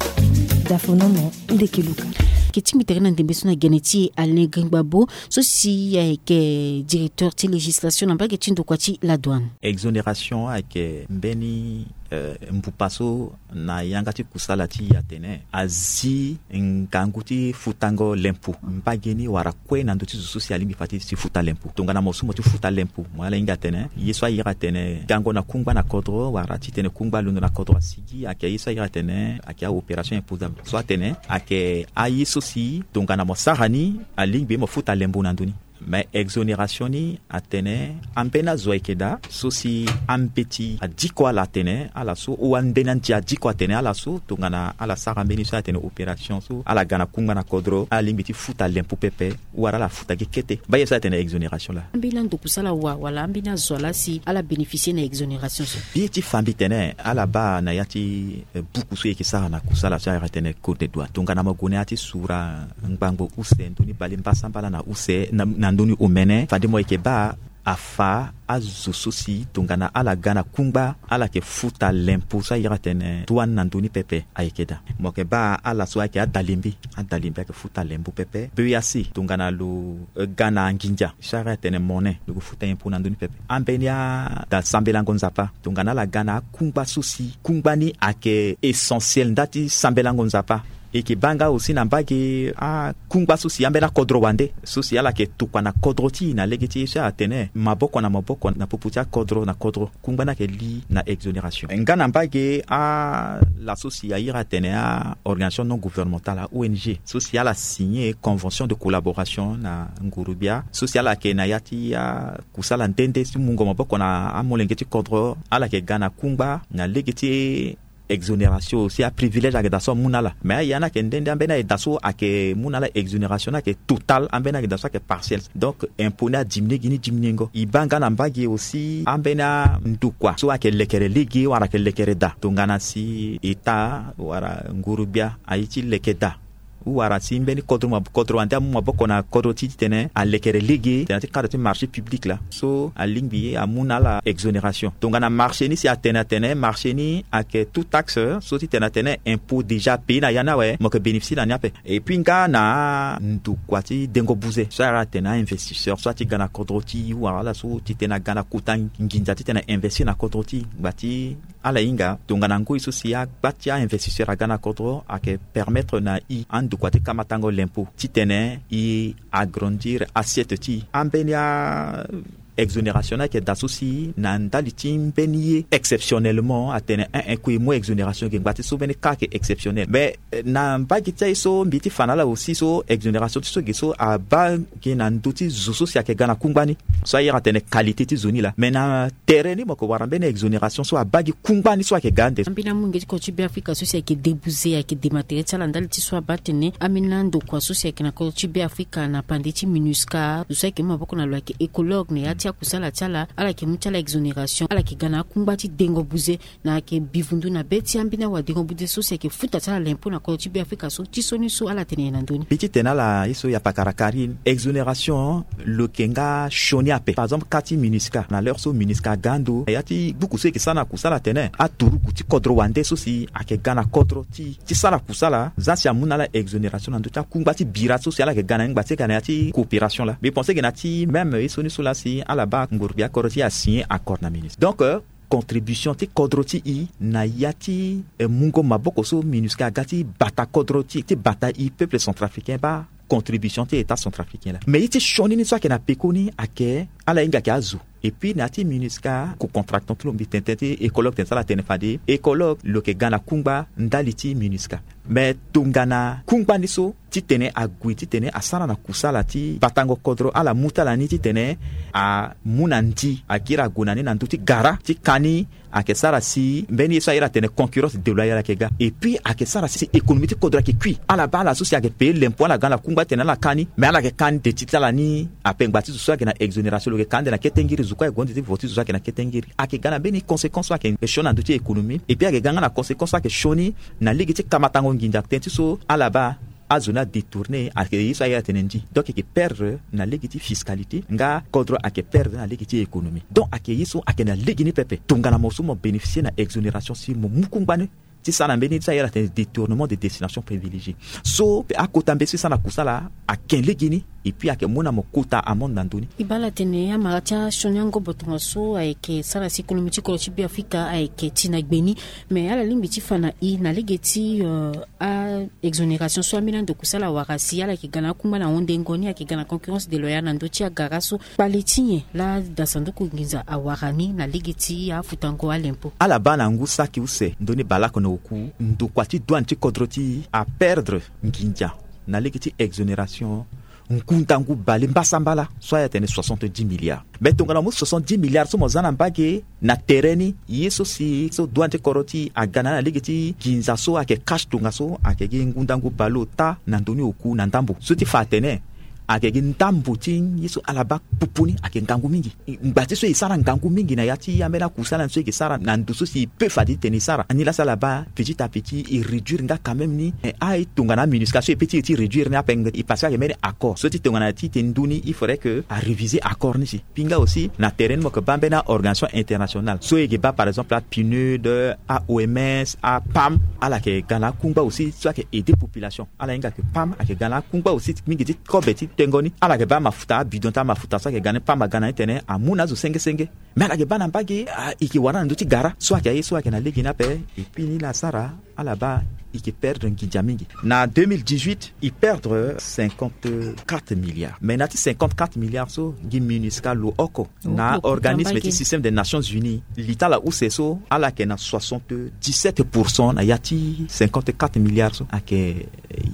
Dafonomo ndeke luka. Ke tingbi tere na ndembe so na gene ti e alain gringba bo so si ayeke directeur ti législation na mbage ti ndokua ti la douane. Exonération ayeke mbeni mbupa so na yanga ti kusala ti e atene azi ngangu ti futango lempo mbage ni wala kue na ndö ti zo so si alingbi fa ti si futa lempo tongana mo so mo ti futa lempo mo ala hinga atene ye so ayeke atene gango na kungba na kodro wala titene kungba londo na kodro asigi ayeke ye so ayeke atene ayeke aopération imposable so atene ayeke aye so si tongana mo sara ni alingbi mo futa lembo na ndö ni. Mais exonération ni atene ambeni azo ayeke daa so si ambeti adiko ala atene ala so ou ambeni andi adiko atene ala so tongana ala sara mbeni so atene opération so ala ga na kungba na kodro ala lingbi ti futa lempo pepe ou wala ala futa gi kete. Mba ye so atene exonération laa. Ambeni andokusala wa wala ambeni azo laa si ala bénéficier na exonération so. Mbi ye ti fa mbi tene ala baa na ya ti buku so e yeke sara na kusala so ayeke atene code de douane tongana mo gue na ya ti sura ngbangbo use ndoni bale mbasambala na use na ndoni omene fade mo yeke baa afa azo so si tongana ala ga na kungba ala yeke futa lempo so ayeke atene douane na ndoni pepe ayeke daa. Mo yeke baa ala so ayeke adalembe adalembe ayeke futa lembo pepe beuyasi tongana lo ga na nginza so ayeke atene mone lo yeke futa lempo na ndoni pepe. Ambeni ada sambelango nzapa tongana ala ga na akungba so si kungba ni ayeke essentiel nda ti sambelango nzapa. E yeke baa nga aussi na mbage akungba so si ambeni akodro wande so si ala yeke tokua na kodro ti e na lege ti e so atene maboko na maboko na popo ti akodro na kodro kungba ni ayeke li na exonération nga na mbage ala so si ayeke atene aorganisation non gouvernementale a ong so si ala signer convention de collaboration na ngurugbia so si ala yeke na ya ti akusala nde nde ti mungo maboko na amolenge ti kodro ala yeke ga na kungba na lege ti exonération aussi aprivilège ayeke daa so amu na ala mais aya ni ayeke nde nde ambeni ayeke daa so ayeke mu na ala exonération ni ayeke total ambeni ayeke daa so ayeke partiel. Donc impo ni adiminie gi ni diminiengo e baa nga na mbage aussi ambeni andokua so ayeke lekere lege wala ayeke lekere daa tongana si état wala ngurugbia aye ti leke daa ou wala si mbeni kodro ma kodro wande amu maboko na kodro ti titene alekere lege tena ti cadre ti marché public laa so alingbi amu na ala exonération tongana marché ni si atene atene marché ni ayeke tout taxe so titene atene impo déjà pays na ya ni awe mo yeke bénéficier na ni ape. Et puis nga na ndokua ti dengo buze so ala tene ainvestisseur so ati ga na kodro ti e ou wala ala so titene aga na kota nginza titene ainvestir na kodro ti e ngba ti ala hinga tongana ngoi so si agba ti ainvestisseur aga na kodro ayeke permettre na e andokua ti kamatango lempo titene e agrandir assiette ti e ambeni a exonération ni ayeke daa so si na ndali ti mbeni ye exceptionnellement atene un un kue e mu exonération ge ngba ti so mbeni ka ayeke exceptionnel mais na mbage ti aye so mbi ti fa na ala aussi so exonération ti so ge so abaa ge na ndö ti zo so si ayeke ga na kungba ni so aye atene qualité ti zo ni laa mais na tere ni mo yeke wara mbeni exonération so abaa gi kungba ni so ayeke ga ande. Ambeni amolenge ti kodro ti be afrika so si ayeke debuze ayeke dema tere ti ala ndali ti so abaa tene ambeni andokua so si ayeke na kodro ti be afrika na pande ti minusca zo so ayeke mu maboko na lo ayeke écologue na ya ti akusala ti ala ala yeke mu ti ala exonération ala yeke ga na akungba ti dengo buze na ayeke bivundu na be ti ambeni awadengo buze so si ayeke futa ti ala lempo na kodro ti be afrika so ti so ni so ala tene nyen na ndö ni. Mbi ti tene na ala ye so ya pakara karine exonération lo yeke nga sioni ape par exemple ka ti minusca na l'heure so minusca aga ando na ya ti buku so e yeke sara na kusala atene aturugu ti kodro wande so si ayeke ga na kodro ti e ti sara kusala za si amu na ala exonération na ndö ti akungba ti bira so si ala yeke ga na ni ngba ti e ga na ya ti coopération laa mbi pense ge na ti même ye so ni so laa si ala baa ngoro gbia kodro ti e asigner accord na minusca donc contribution ti kodro ti e na ya ti mungo maboko so minusca aga ti bata kodro ti e ti bata e peuple centrafricain baa contribution ti état centrafricain laa mais ye ti sioni ni so ayeke na peko ni ayeke Ala hinga ayeke azo. Et puis na ya ti MINUSCA, ko contractant ti lo mbi tene tënë ti écologue tene so ala tene fade écologue lo yeke ga na kungba ndali ti MINUSCA. Mais tongana kungba ni so titene ague titene asara na kusala ti batango kodro, ala mu ti ala ni titene amu na ndi akiri ague na ni na ndö ti gara ti ka ni. Ayeke sara si mbeni ye so ayeke atene concurrence déloyale ayeke ga. Et puis ayeke sara si économie ti kodro ayeke kui. Ala baa ala so si ayeke payer l'impôt, ala ga na kungba titene ala ka ni, mais ala yeke ka ni de ti ti ala ni. Ape ngba ti zo so ayeke na exonération lo yeke ka ande na kete ngiri, zo kue ayeke gue ande ti vo ti zo so ayeke na kete ngiri. Ayeke ga na mbeni conséquence so ayeke sioni na ndö ti économie. Et puis ayeke ga nga na conséquence so ayeke sioni na lege ti kamatango nginza, tënë ti so ala baa azo ni adétourné, ayeke ye so ayeke atene ndi. Donc ayeke perdre na lege ti fiscalité, nga kodro ayeke perdre na lege ti économie. Donc ayeke ye so ayeke na lege ni pepe. Tongana mo so mo bénéficier na exonération si mo mu kungba ni ti sara na mbeni ye so ayeke atene détournement de destination privilégiée. So akota mbeni so e sara na kusala ayeke lege ni. Et puis ayeke mu na mo kota amende na ndö ni. E baa ala tene amara ti asioni angobo tongaso ayeke sara si économie ti kodro ti Beafrika ayeke ti na gbe ni. Mais ala lingbi ti fa na e na lege ti, euh, a exonération so ambeni ando kusala awara si ala yeke ga na akungba na ahundengo ni, ayeke ga na concurrence déloyale na ndö ti agara so. Kpale ti nyen laa da sanduku nginza awara ni na lege ti afutango a l'impôt? Ala baa na ngu saki use ndoni baleoko na oku, ndokua ti douane ti kodro ti e aperdre nginza na lege ti exonération ngu ndangu bale mbasambala so ayeke atene soixante-dix milliards. Mais tongana mo mu soixante-dix milliards so mo za na mbage na tere ni, ye so si so douane ti kodro ti e aga na ala na lege ti nginza so ayeke cash tongaso ayeke gi ngu ndangu bale ota na ndoni oku na ndambo. So ti fa atene ayeke gi ndambo ti ye so ala baa pupu ni ayeke ngangu mingi. Ngba ti so e sara ngangu mingi na ya ti ambeni akusala ni so e yeke sara na ndo so si e peut fade titene e sara. Ani laa si ala baa petit à petit e réduire nga quand même ni. Eh, a e tongana MINUSCA so e peut ti e ti réduire ni ape, e parce que ayeke mbeni accord so ti tongana ti tene ndö ni il faudrait que a réviser accord ni si. Pinga aussi na tere ni mo yeke baa mbeni a-organisation internationale so e yeke baa par exemple a-PNUD, a-OMS, a-PAM. Ala yeke ga na akungba aussi so ayeke aider population. Ala hinga ayeke PAM ayeke ga na akungba aussi mingi ti kobe ti tengo ni. Ala yeke baa mafuta, abidon ti amafuta so ayeke ga ni, PAM aga na ni tene amu na azo senge senge. Mais ala yeke baa na mbage, ah, e yeke wara na ndö ti gara so ayeke aye so ayeke na lege ni ape. Et puis ni laa asara ala baa e yeke perdre nginza mingi. Na deux mille dix-huit e perdre cinquante-quatre milliards. Mais na ya ti cinquante-quatre milliards so gi MINUSCA lo oko na organisme ti système des Nations Unies, li ti ala use so ala yeke na soixante-dix-sept pour cent na ya ti cinquante-quatre milliards so. Ayeke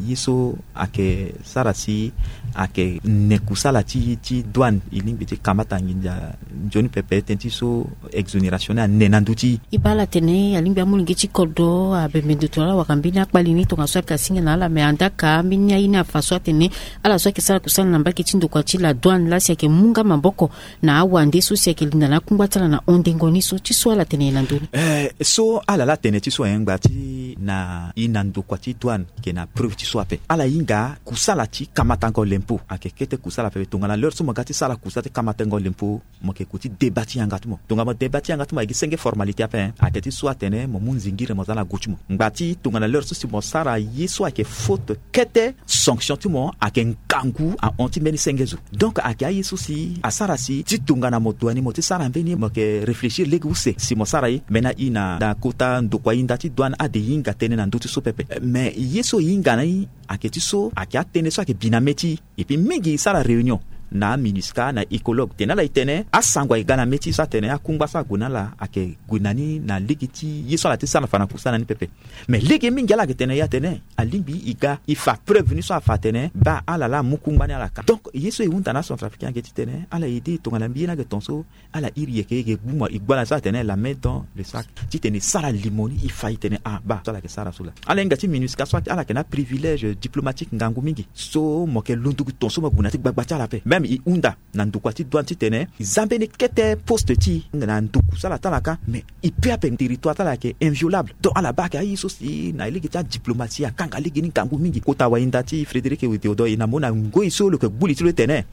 ye so ayeke sara si ayeke ne kusala ti, ti douane e lingbi ti kamata nginza nzoni pepe tënë ti so exonération ni ane na ndö ti e. E baa ala tene alingbi amolenge ti kodro abembe ndo tongana ala wara mbeni akpali ni tongaso ayeke asinga na ala, me andaka mbeni aye ni afa so atene ala so ayeke sara kusala na mbage ti ndokua ti la douane laa si ayeke mu nga maboko na awande so si ayeke linda na akungba ti ala na hundengo ni so ti so ala tene na ndö ni. Eh, so ala laa tene ti so, eh, ngba ti na e na ndokua ti douane ayeke na preuve ti so ape. Ala hinga kusala ti kamatango l'impôt ayeke kete kusala pepe. Tongana l'heure so mo ga ti sara kusala ti kamatango l'impôt, mo yeke gue ti débat ti yanga ti mo. Tongana mo débat ti yanga ti mo ayeke gi senge formalité ape, eh. Ayeke ti so atene mo mu nzingiri mo za na gu ti mo. Ngba ti tongana l'heure so si mo sara ye so ayeke faute kete, sanction ti mo ayeke ngangu ahon ti mbeni senge zo. Donc ayeke aye so si asara si ti tongana mo dua ni mo ti sara mbeni, mo yeke réfléchir lege use si mo sara ye. Mbeni aye na, na kota ndokua hinda ti douane ade e hinga tënë na ndö ti so pepe. Mais ye so e hinga na e ayeke ti so ayeke atënë so ayeke bi na mê ti e. Et puis mingi e sara réunion na MINUSCA na écologue, tene ala e tene asango ayeke ga na mê ti e so atene akungba so ague na ala ayeke gue na ni na lege ti ye so ala ti sara na fa na kusala ni pepe. Mais lege mingi ala yeke tene e atene alingbi e ga e fa preuve ni so afa atene baa ala laa amu kungba ni ala ka. Donc ye so e hunda na acentrafricain ayeke ti tene ala aidé e tongana mbi ye ni ayeke ton so ala iri e yeke, e yeke gbu mo, e gbu ala so atene la main dans le sac titene e sara limo ni e fa e tene ah baa so ala yeke sara so laa. Ala hinga ti MINUSCA so ala yeke na aprivilège diplomatique ngangu mingi so mo yeke londo gi ton so mo gue na ti gbagba ti ala ape. Même e hunda na ndokua ti douane titene e za mbeni kete poste ti e na ndo kusala ti ala ka, mais e pe ape territoire ti ala ayeke inviolable. Donc ala baa ayeke aye so si na lege ti adiplomatie akanga lege ni ngangu mingi. Kota wahinda ti Frédéric Théodore e na mo na ngoi so lo yeke gbu li ti lo tene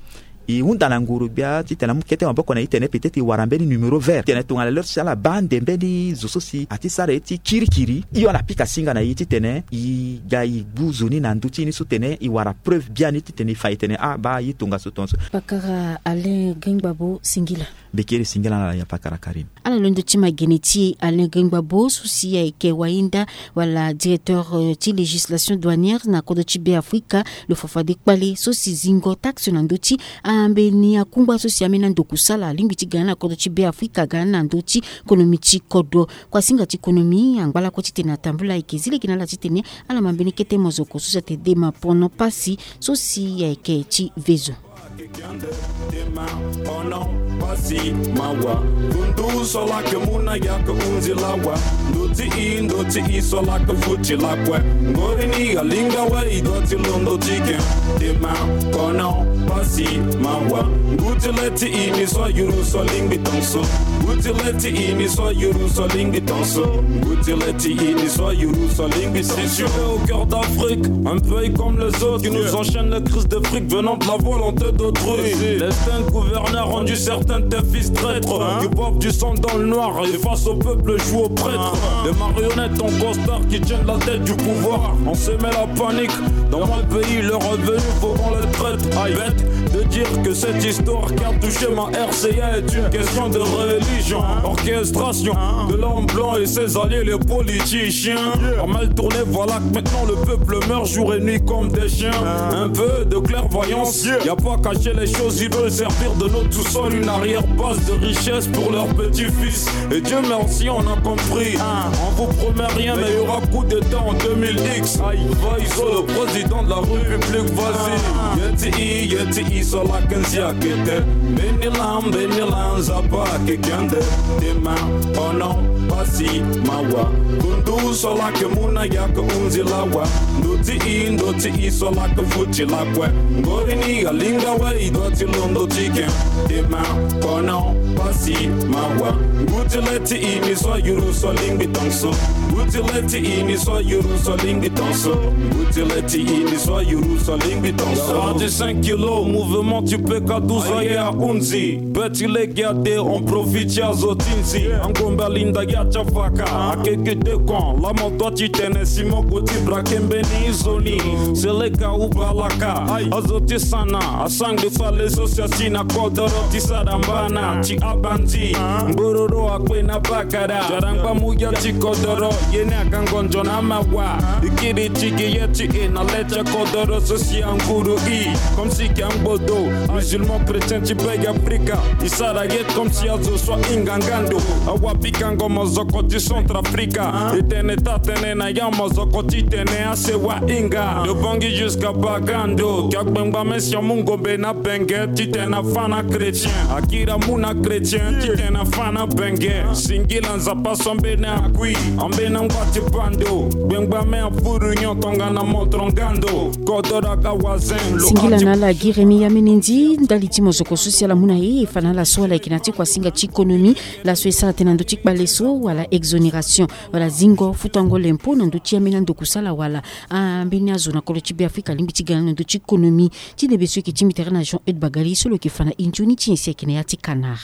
e hunda na ngoro gbia titene amu kete maboko na e tene peut-être e wara mbeni numéro vert titene tongana l'heure so si ala baa ande mbeni zo so si ati sara ye ti kirikiri, hio ala pika singa na e titene e ga e gbu zo ni na ndö ti ni so tene e wara preuve biani titene e fa e tene ah baa ye tongaso tongaso. Pakara Alain Gringbabo, singila. Bekere singila na la ya pakara Karine. Ala londo ti magene ti e Alain Gengba Bo so si ayeke wainda wala directeur ti législation douanière na kodro ti Beafrika, lo fa fade kpale so si zingo taxe na ndö ti ambeni akungba so si ambeni andokusala alingbi ti ga na kodro ti Beafrika, ga na ndö ti konomi ti kodro. Kuasinga ti konomi angba lakue titene atambula ayeke zi lege na ala titene ala ma mbeni kete mozoko so si atene dema pono pasi so si ayeke ti vezo. Pasi mawa. Kundu so lake muna yake unzi lawa. Ndoti i ndoti i so lake futi lakue. Ngori ni alinga we i doti londo tike. Dema kono pasi mawa. Nguti leti i ni so yuru so lingbi tonso. Nguti leti i ni so yuru so lingbi tonso. Nguti leti i ni so yuru so lingbi tonso. Si tu es au cœur d'Afrique, un pays comme les autres, qui nous enchaîne les crises de fric venant de la volonté d'autrui. L'instinct de gouverner a rendu certains de tes fils traîtres, qui boivent du sang dans le noir et face au peuple jouent au prêtre. Des marionnettes en costard qui tiennent la tête du pouvoir. On semait la panique dans mon pays, leur revenu faut qu'on les traite. Bête de dire que cette histoire qui a touché ma R C A est une question de religion. Orchestration de l'homme blanc et ses alliés, les politiciens. A mal tourné, voilà que maintenant le peuple meurt jour et nuit comme des chiens. Un peu de clairvoyance, y a pas caché les choses, ils veulent servir de notre sous-sol une arrière-base de richesse pour leurs petits-fils. Et Dieu merci, on a compris. On vous promet rien, mais il y aura coup d'État en deux mille X. Aïe, Vaizo, le président de la République, vas-y. Yeti i, yeti i, so la kenzi akete. Beni lam, beni lam, zapa ke kende. Dema, oh non, pasi mawa. Kundu so lake muna yake unzi lawa. Ndoti i ndoti i so lake futi lakue. Ngori ni alinga we i doti londo tike. Dema kono pasi mawa. Nguti leti i ni so yuru so lingbi tonso. Nguti leti i ni so yuru so lingbi tonso. Nguti leti i ni so yuru so lingbi tonso. Quarante-cinq kilos, mouvement tu peux kaduza ya unzi. Beti lege ade, on profite ya zo ti nzi. Angombe alinda ya ti afaka. Akeke dekon, la moto ti tene si moko ti brake mbeni zoni. Seleka ubalaka. Azo ti sana, asangbe fale so si asi na kodoro ti sara mbana. Ti abanzi, mbororo akpe na bakara. Jarangba muya ti kodoro, ye ni agangonjo na mawa. Ikiri ti gi ye ti e na le ti kodoro so si anguru i. Comme si ke angbodo, musulman chrétien ti Beg Afrika. I sara ye comme si azo so ahinga ngando. Awa pikango mozoko ti Centrafrica. E tene taa tene na ya mozoko ti tene asewa hinga. Lo bangi jusqu'à Bagando. Kia gbengba me si amu ngombe na benge ti tene afa na chrétien. Akira mu na chrétien ti tene afa na benge. Singila Nzapa so ambeni akui. Ambeni angba ti bando. Gbengba me afuru nyon tongana motro ngando. Kodoro aga wazen. Singila na ala gi remi ya mene ndi ndali ti mozoko so si ala mu na e e fa na ala so ala yeke na ti kuasinga ti konomi. Laso e sara tënë na ndö ti kpale so wala exonération wala zingo futango lempo na ndö ti ambeni andokusala wala ambeni azo na kolo ti Beafrika alingbi ti ga na ndö ti konomi. Ti nebe so e yeke ti mbi tere na Jean Eude Bagali so lo yeke fa na e nzoni ti nyen si ayeke na ya ti Canard.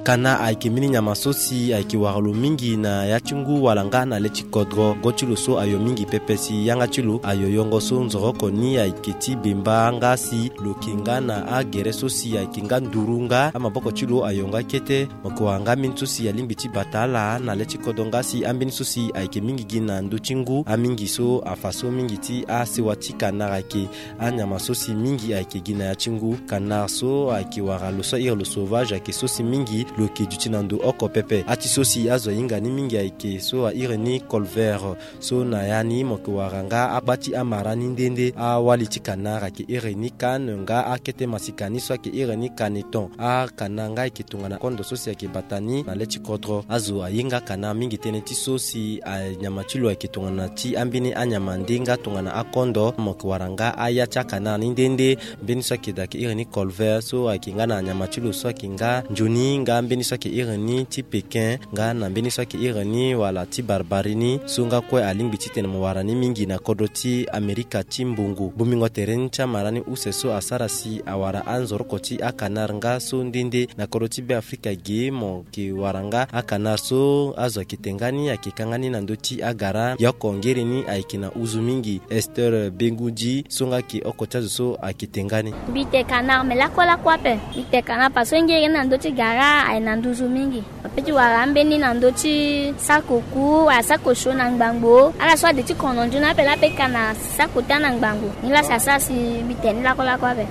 Kana ayeke mbeni nyama so si ayeke wara lo mingi na ya ti ngu wala nga na le ti kodro. Go ti lo so ayo mingi pepe si yanga ti lo ayo yongo so nzoroko ni ayeke ti bemba nga si lo yeke nga na agere so si ayeke nga nduru nga amaboko ti lo ayo nga kete. Mo yeke wara nga ambeni so si alingbi ti bata ala na le ti kodro nga si ambeni so si ayeke mingi gi na ndö ti ngu amingi so afa so mingi ti asewa ti Canard ayeke. Anyama so si mingi ayeke gi na ya ti ngu. Canard so ayeke wara lo so ahiri lo sauvage ayeke so si mingi lo yeke duti na ndo oko pepe. Ati so si azo ahinga ni mingi ayeke so ahiri ni colvert. So na ya ni mo yeke wara nga akpa ti amara ni nde nde. Awali ti Canard ayeke iri ni kane nga akete masika ni so ayeke iri ni kaneton. Acanard nga ayeke tongana kondo so si ayeke bata ni na le ti kodro. Azo aye nga Canard mingi tënë ti so si anyama ti lo ayeke tongana ti ambeni anyama nde nga tongana akondo. Mo yeke wara nga aya ti acanard ni nde nde. Mbeni so ayeke daa ayeke iri ni colvert so ayeke nga na anyama ti lo so ayeke nga nzoni nga Mbeni so ayeke iri ni ti Pékin nga na mbeni so ayeke iri ni wala ti Barbarie ni so nga kue alingbi titene mo wara ni mingi na kodro ti Amerika ti mbongo. Bongbingo tere ni ti amara ni use so asara si awara anzoroko ti akanare nga so nde nde na kodro ti Beafrika ge mo yeke wara nga akanare so azo ayeke te nga ni ayeke ka nga ni na ndö ti agara. Ye oko ngere ni ayeke na uzu mingi. Esther Bengudi so nga ayeke oko ti azo so ayeke te nga ni. Mbi te kanare me lakue lakue ape. Mbi te kanare parce que ngere ni na ndö ti gara aye na nduzu mingi. Ape ti wara ambeni na ndö ti sako ku wala sako sio na ngbangbo. Ala so ade ti kono nzoni ape la ape ka na sako ti ana ngbangbo. Ni la si asara si mbi te ni lakue lakue ape.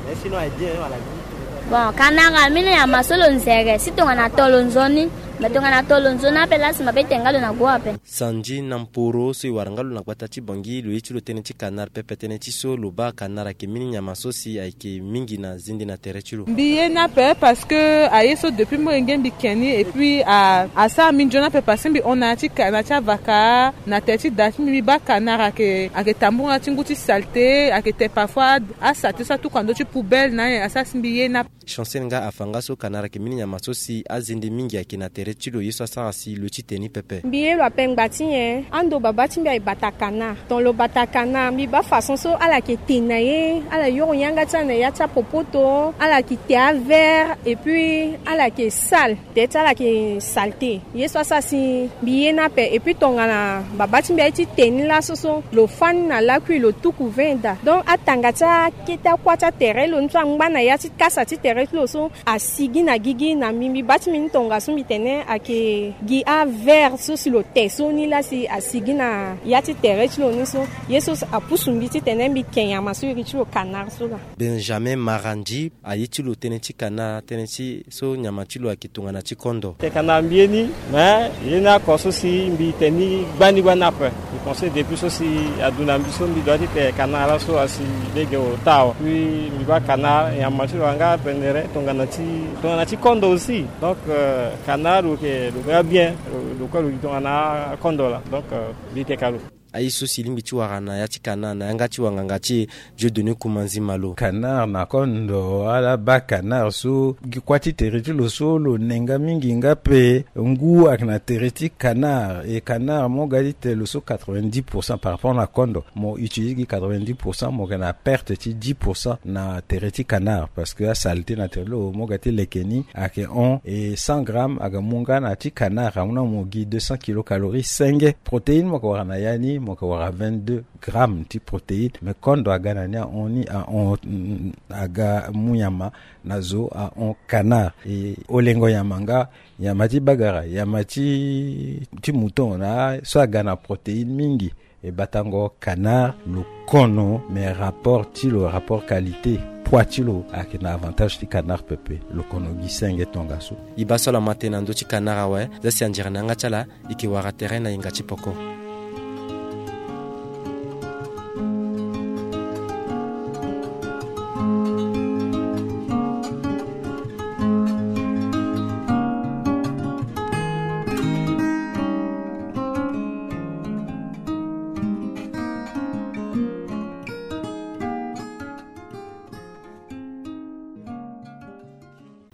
Bon, kanare ambeni nyama so lo nzere si tongana to lo nzoni. Me tongana to lo nzoni ape la si mabe te nga lo na gue ape. Sanji na mporo so e wara nga lo na gbata ti Bangui, lo ye ti lo tënë ti kanare pepe. Tënë ti so lo baa kanare ayeke mbeni nyama so si ayeke mingi na zende na tere ti lo. Mbi ye ni ape parce que aye so depuis molenge mbi ke ni et puis a, asara mbi nzoni ape parce que mbi hon na ya ti ka, na ya ti avaka, na tere ti da ti mbi, mbi baa kanare ayeke, ayeke tambula ti ngu ti saleté, ayeke te parfois asaleté so atuka na ndö ti poubelle na aye asara si mbi ye ni ape. Chancel nga afa nga so kanare ayeke mbeni nyama so si azende mingi ayeke na tere ti lo ye so asara si lo ti te ni pepe. Mbi ye lo ape ngba ti nyen? Ando babâ ti mbi aye bata kanare. Ton lo bata kanare mbi baa façon so ala yeke te na ye, ala yoro yanga ti ala na ya ti apopoto, ala yeke te avert et puis ala yeke sale. Tere ti ala yeke saleté. Ye so asara si mbi ye ni ape et puis tongana babâ ti mbi aye ti te ni laso so lo fâ ni na lakui lo tuku vin daa. Donc atanga ti akete akuâ ti atere ti lo ni so angba na ya ti kasa ti tere ti lo so asigi na gigi na mbi, mbi baa ti mbi ni tongaso mbi tene ayeke gi avert so si lo te so ni la si asigi na ya ti tere ti lo ni so. Ye so apusu mbi titene mbi ke nyama so iri ti lo kanare so laa. Benjamin Marandi aye ti lo tënë ti kanare, tënë ti so nyama ti lo ayeke tongana ti kondo. Te kanare mbi ye ni, mais ye ni oko so si mbi te ni gbani gbani ape. Mbi pense depuis so si adu na mbi so mbi doit ti te kanare laso asi lege ota awe. Puis mbi baa kanare nyama ti lo anga pendere tongana ti, tongana ti kondo aussi. Donc euh, kanare lo yeke, lo yeke bien, lo, lo kue lo gi tongana kondo laa. Donc euh, mbi te ka lo. Aye so si lingbi ti wara na ya ti kanare na yanga ti wanganga ti e, Dieudonné Koumanzi Malo. Kanare na kondo, ala baa kanare so gi kuâ ti tere ti lo so lo nenga mingi nga ape. Ngu ayeke na tere ti kanare, e kanare mo ga ti te lo so quatre-vingt-dix pour cent par rapport na kondo. Mo utilise gi quatre-vingt-dix pour cent, mo yeke na perte ti dix pour cent na tere ti kanare, parce que asaleté na tere ti lo mo ga ti leke ni ayeke hon, e cent grammes ayeke mu nga na ti kanare amu na mo gi deux cents kilocalories senge. Protéine mo yeke wara na ya ni, mo yeke wara vingt-deux grammes ti protéine. Mais kondo aga na ni ahon ni, ahon, mm, aga mu nyama na zo ahon kanare. E olengo nyama nga nyama ti bagara, nyama ti, ti mouton na so aga na protéine mingi. E batango kanare lo kono, mais rapport ti lo, rapport qualité, poids ti lo ayeke na avantage ti kanare pepe. Lo kono gi senge tongaso. E baa so ala ma tënë na ndö ti kanare awe, za si anzere na yanga ti ala. E yeke wara tere na yenga ti poko.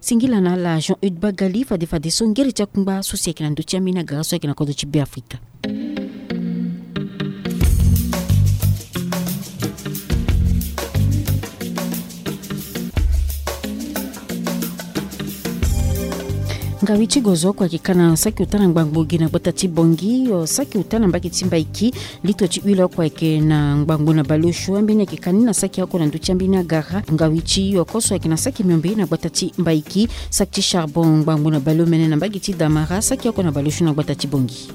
Singila na ala Jean Eude Bagali fade fade so ngere ti akungba so si ayeke na ndö ti ambeni agara so ayeke na kodro ti Beafrika. Ngawi ti gozo oko ayeke ka na saki ota na ngbangbo gi na gbata ti Bongi, o saki ota na mbage ti Mbaiki. Litro ti huile oko ayeke na ngbangbo na baleosio, ambeni ayeke ka ni na saki oko na ndö ti ambeni agara. Ngawi ti oko so ayeke na saki miombe na gbata ti Mbaiki, saki ti charbon ngbangbo na baleomene na mbage ti Damara, saki oko na baleosio na gbata ti Bongi.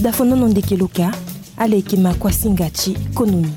Dafonono ndeke loka, ala yeke makuasinga ti konomi.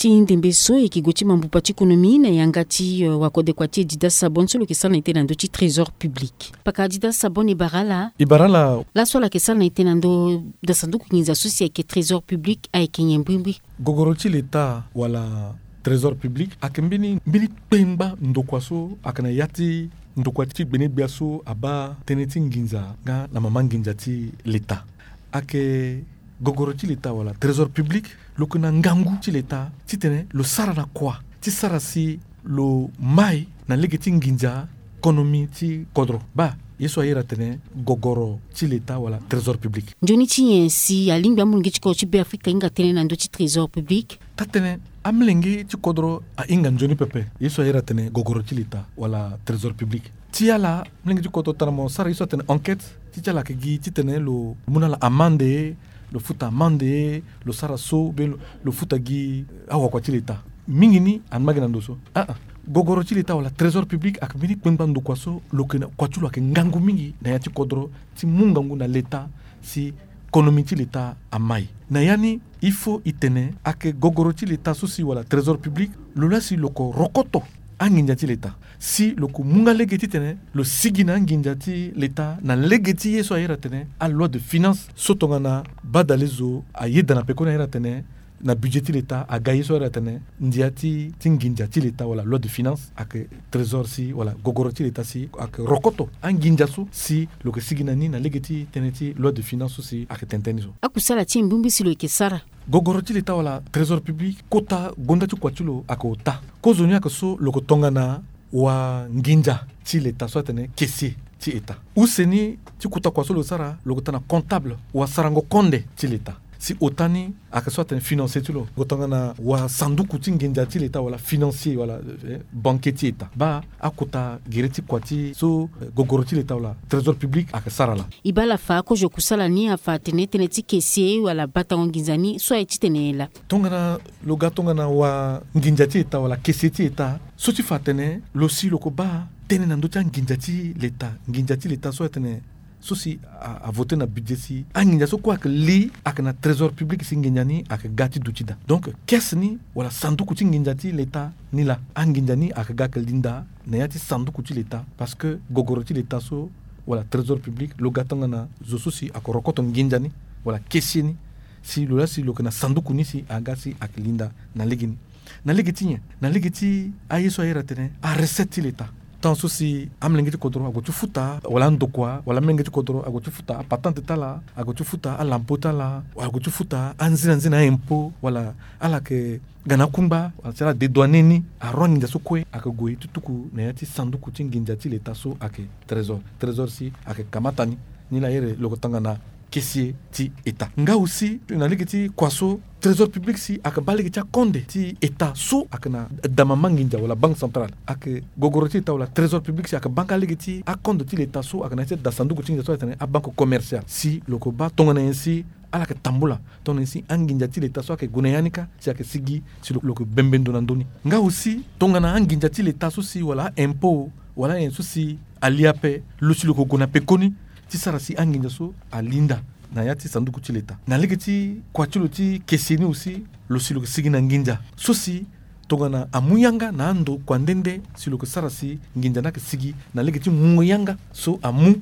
Ti ndembe so e yeke gue ti mambupa ti konomi na yanga ti, euh, wakodekua ti e Dida Sabon so lo yeke sara na ete na ndö ti trésor public. Paka Dida Sabon e bara ala. E bara ala. Laso ala yeke sara na ete na ndö da sanduku nginza so si ayeke trésor public ayeke nyen mbrimbri? Gogoro ti leta wala trésor public ayeke mbeni, mbeni kpengba ndokua so ayeke na ya ti ndokua ti gbenegbia so abaa tënë ti nginza nga na mama nginza ti leta. Ayeke gogoro ti leta wala trésor public, lo yeke na ngangu ti leta titene lo sara na kua ti sara si lo mai na lege ti nginza konomi ti kodro. Baa ye so a iri atene gogoro ti leta wala trésor public. Nzoni ti nyen si alingbi amolenge ti kodro ti Beafrika ahinga tënë na ndö ti trésor public? Taa-tënë, amolenge ti kodro ahinga nzoni pepe ye so a iri atene gogoro ti leta wala trésor public. Ti ala, molenge ti kodro tongana mo sara ye so atene enquête, ti ti ala ayeke gi titene lo mu na ala amande, lo futa amande, lo sara so be lo, lo futa gi awakua ti leta. Mingi ni angba gi na ndo so. Aa, gogoro ti leta wala trésor public ayeke mbeni kpengba ndokua so lo yeke na kua ti lo ayeke ngangu mingi na ya ti kodro ti mu ngangu na leta si konomi ti leta amai. Na ya ni, il faut e tene ayeke gogoro ti leta so si wala trésor public, lo laa si lo ko rokoto anginza ti leta. Si lo ko mu nga lege titene lo sigi na anginza ti leta na lege ti ye so a iri atene aloi de finance so tongana badale zo ayeda na pekoni a iri atene na budget ti leta aga ye so a iri atene ndia ti, ti nginza ti leta wala loi de finance, ayeke trésor si wala gogoro ti leta si ayeke rokoto anginza so si lo yeke sigi na ni na lege ti tënë ti loi de finance so si ayeke tene tënë ni so. Akusala ti mbi mbi si lo yeke sara. Gogoro ti leta wala trésor public, kota gonda ti kua ti lo ayeke ota. Kozoni ayeke so lo yeke tongana wanginza ti leta so atene caissier ti état. Use ni ti kota kua so lo sara, lo yeke tongana comptable, wasarango konde ti leta. Si ota ni ayeke so atene financier ti lo, lo yeke tongana wasanduku ti nginza ti leta wala financier wala, eh, banquier ti état. Baa akota gere ti kua ti so, eh, gogoro ti leta wala trésor public ayeke sara laa. E baa ala fa kozo kusala ni afa atene tënë ti caissier wala batango nginza ni so aye titene laa. Tongana lo ga tongana wanginza ti état wala caissier ti état, so ti fa atene lo si lo ko baa tënë na ndö ti anginza ti leta, nginza ti leta so atene so si a, a voté na budget si anginza so kue ayeke li ayeke na trésor public si nginza ni ayeke ga ti duti daa. Donc caisse ni wala sanduku ti nginza ti leta ni laa, anginza ni ayeke ga ayeke li ndaa na ya ti sanduku ti leta, parce que gogoro ti leta so wala trésor public lo ga tongana zo so si ayeke rokoto nginza ni wala caissier ni, si lo laa si lo yeke na sanduku ni si aga si ayeke li ndaa na lege ni. Na lege ti nyen? Na lege ti aye so a iri atene arecette ti leta. Temps so si amolenge ti kodro ague ti futa wala andokua wala amolenge ti kodro ague ti futa apatente ti ala, ague ti futa alampo ti ala, ague ti futa anzinanzina aimpôt wala ala yeke ga na akungba wala si ala dédouaner ni, aru anginza so kue ayeke gue ti tuku na ya ti sanduku ti nginza ti leta so ayeke trésor. Trésor si ayeke kamata ni. Ni laa iri lo yeke tongana caissier ti état. Nga aussi na lege ti kua so trésor public si ayeke baa lege ti akonde ti état so ayeke na damama nginza wala banque centrale. Ayeke gogoro ti état wala trésor public si ayeke baa nga lege ti akonde ti leta so ayeke na ya ti da sanduku ti nginza so ayeke tene abanque commerciale. Si lo yeke baa tongana nyen si ala yeke tambula, tongana nyen si anginza ti leta so ayeke gue na ya ni kâ si ayeke sigi si lo, lo yeke bembe ndo na ndö ni. Nga aussi tongana anginza ti leta so si wala aimpôt wala nyen so si ali ape, lo si lo yeke gue na pekoni ti sara si anginza so ali ndaa na ya ti sanduku ti leta. Na lege ti kua ti lo ti caissier ni aussi, lo si lo yeke sigi na nginza so si tongana amu yanga na andokua nde nde si lo yeke sara si nginza ni ayeke sigi na lege ti mu yanga so amu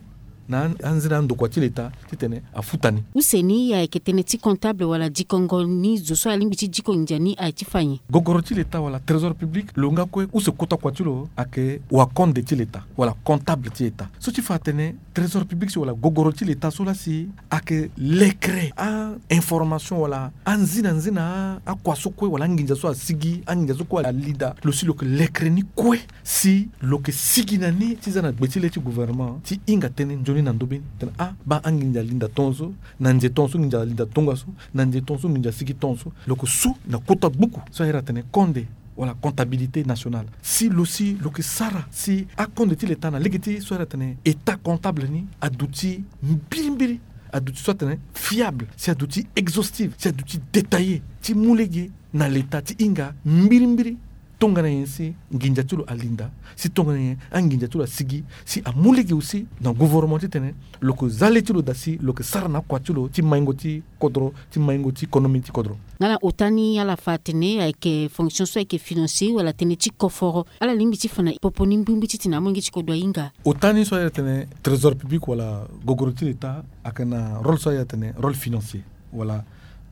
na an-, anzere andokua ti leta titene afuta ni. Use ni ayeke tënë ti comptable wala dikongo ni zo so alingbi ti diko nginza ni aye ti fa nyen? Gogoro ti leta wala trésor public lo nga kue use kota kua ti lo ayeke wakonde ti leta wala comptable ti état. So ti fa atene trésor public si wala gogoro ti leta so laa si ayeke lekere a-information wala anzinanzina a-, akua so kue wala anginza so asigi, anginza so kue ali daa, lo si lo yeke lekere ni kue si lo yeke sigi na ni ti za na gbe ti le ti gouvernement ti hinga tënë nzoni na ndö be ni. Tene ah, baa anginza ali ndaa tongaso, na nze tongaso nginza ali ndaa tongaso, na nze tongaso nginza asigi tongaso. Lo yeke su na kota gbuku so a iri atene konde wala comptabilité nationale. Si lo si lo yeke sara si akonde ti leta na lege ti so a iri atene état comptable ni aduti mbirimbiri, aduti so atene fiable, si aduti exhaustive, si aduti détaillé, ti mu lege na leta ti hinga mbirimbiri tongana nyen si nginza ti lo ali ndaa, si tongana nyen anginza ti lo asigi, si amu lege aussi na gouvernement titene lo yeke za le ti lo daa si lo yeke sara na akua ti lo ti maingo ti kodro, ti maingo ti konomi ti kodro. Nga na ota ni ala fa atene ayeke fonction so ayeke financier wala tënë ti koforo, ala lingbi ti fa na popo ni mbirimbiri titene amolenge ti kodro ahinga. Ota ni so a iri atene trésor public wala gogoro ti leta ayeke na rôle so a iri atene rôle financier wala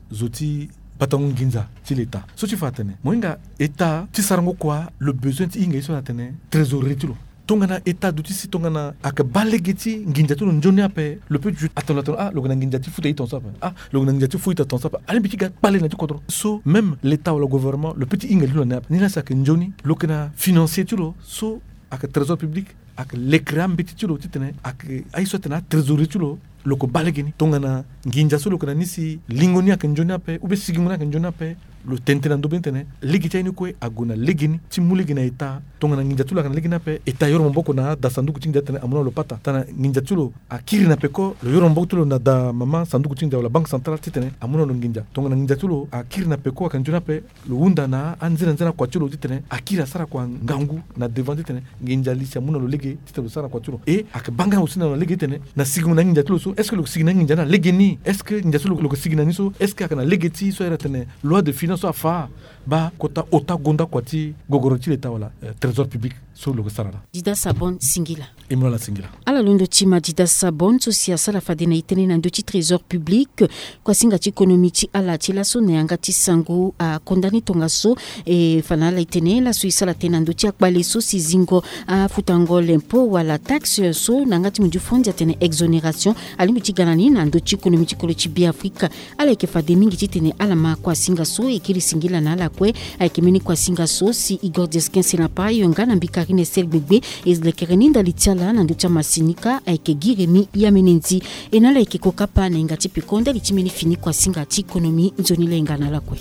zo ti batango nginza ti leta. So ti fa atene mo hinga état ti sarango kua lo besoin ti hinga ye so atene trésorerie ti lo. tongana état duti si tongana ayeke baa lege ti nginza ti lo nzoni ape, lo peut ti atene lo atene ah lo yeke na nginza ti futa ita ton so ape, ah lo yeke na nginza ti futa ita ton so ape, alingbi ti ga kpale na ti kodro so. Même l'état wala gouvernement lo peut ti hinga li lo na ni ape. Ni la si ayeke nzoni lo yeke na financier ti lo so ayeke trésor public, ayeke lekere ambeti ti lo titene ayeke aye so atene atrésorier ti lo, lo yeke baa lege ni. Tongana nginza so lo yeke na ni si lingo ni ayeke nzoni ape ou bien sigingo ni ayeke nzoni ape, lo tene tënë na ndö be ni titene lege ti aye ni kue ague na lege ni ti mu lege na état. Tongana nginza ti lo ayeke na lege ni ape, état ayoro maboko na ada sanduku ti nginza titene amu na lo pata. Tongana nginza ti lo akiri na peko, lo yoro maboko ti lo na ada mama sanduku ti nginza wala banque centrale titene amu na lo nginza. Tongana nginza ti lo akiri na peko ayeke nzoni ape, lo hunda na anzene anzene akua ti lo titene akiri asara kua ngangu na devant titene nginza li si amu na lo lege titene lo sara na kua ti lo. E ayeke baa nga aussi na lo na lege titene na sigingo na anginza ti lo so, est ce que lo yeke sigi na anginza ni na lege ni? Est ce que nginza so lo lo yeke sigi na ni so, est ce que ayeke na lege ti so ahiri atene loi de finance so afa? Baa kota ota gonda kua ti gogoro ti l'état wala eh, trésor public so lo yeke sara laa. Dida Sabon, singila. E mu na ala singila. Ala londo ti Madida Sabon so si asara fade na e tënë na ndö ti trésor public. Kuasinga ti économie ti ala ti laso na yanga ti sango akonda ni tongaso. E fa na ala e tene laso e sara tënë na ndö ti akpale so si zingo afutango l'impôt wala taxe so na yanga ti mondio fondi atene exonération, alingbi ti ga na ni na ndö ti économie ti kolo ti Beafrika. Ala yeke fade mingi titene ala ma kuasinga so e kiri singila na ala kue. Ayeke mbeni kuasinga so si Igor Diasquin Senapayo nga na mbi Karine Estelle Gbegbe e lekere ni ndali ti ala na ndö ti amasinika ayeke Guy Rémy Yamenendi. E na ala yeke ko kapa na hinga ti peko ndali ti mbeni fini kuasinga ti économie. Nzoni le hinga na ala kue.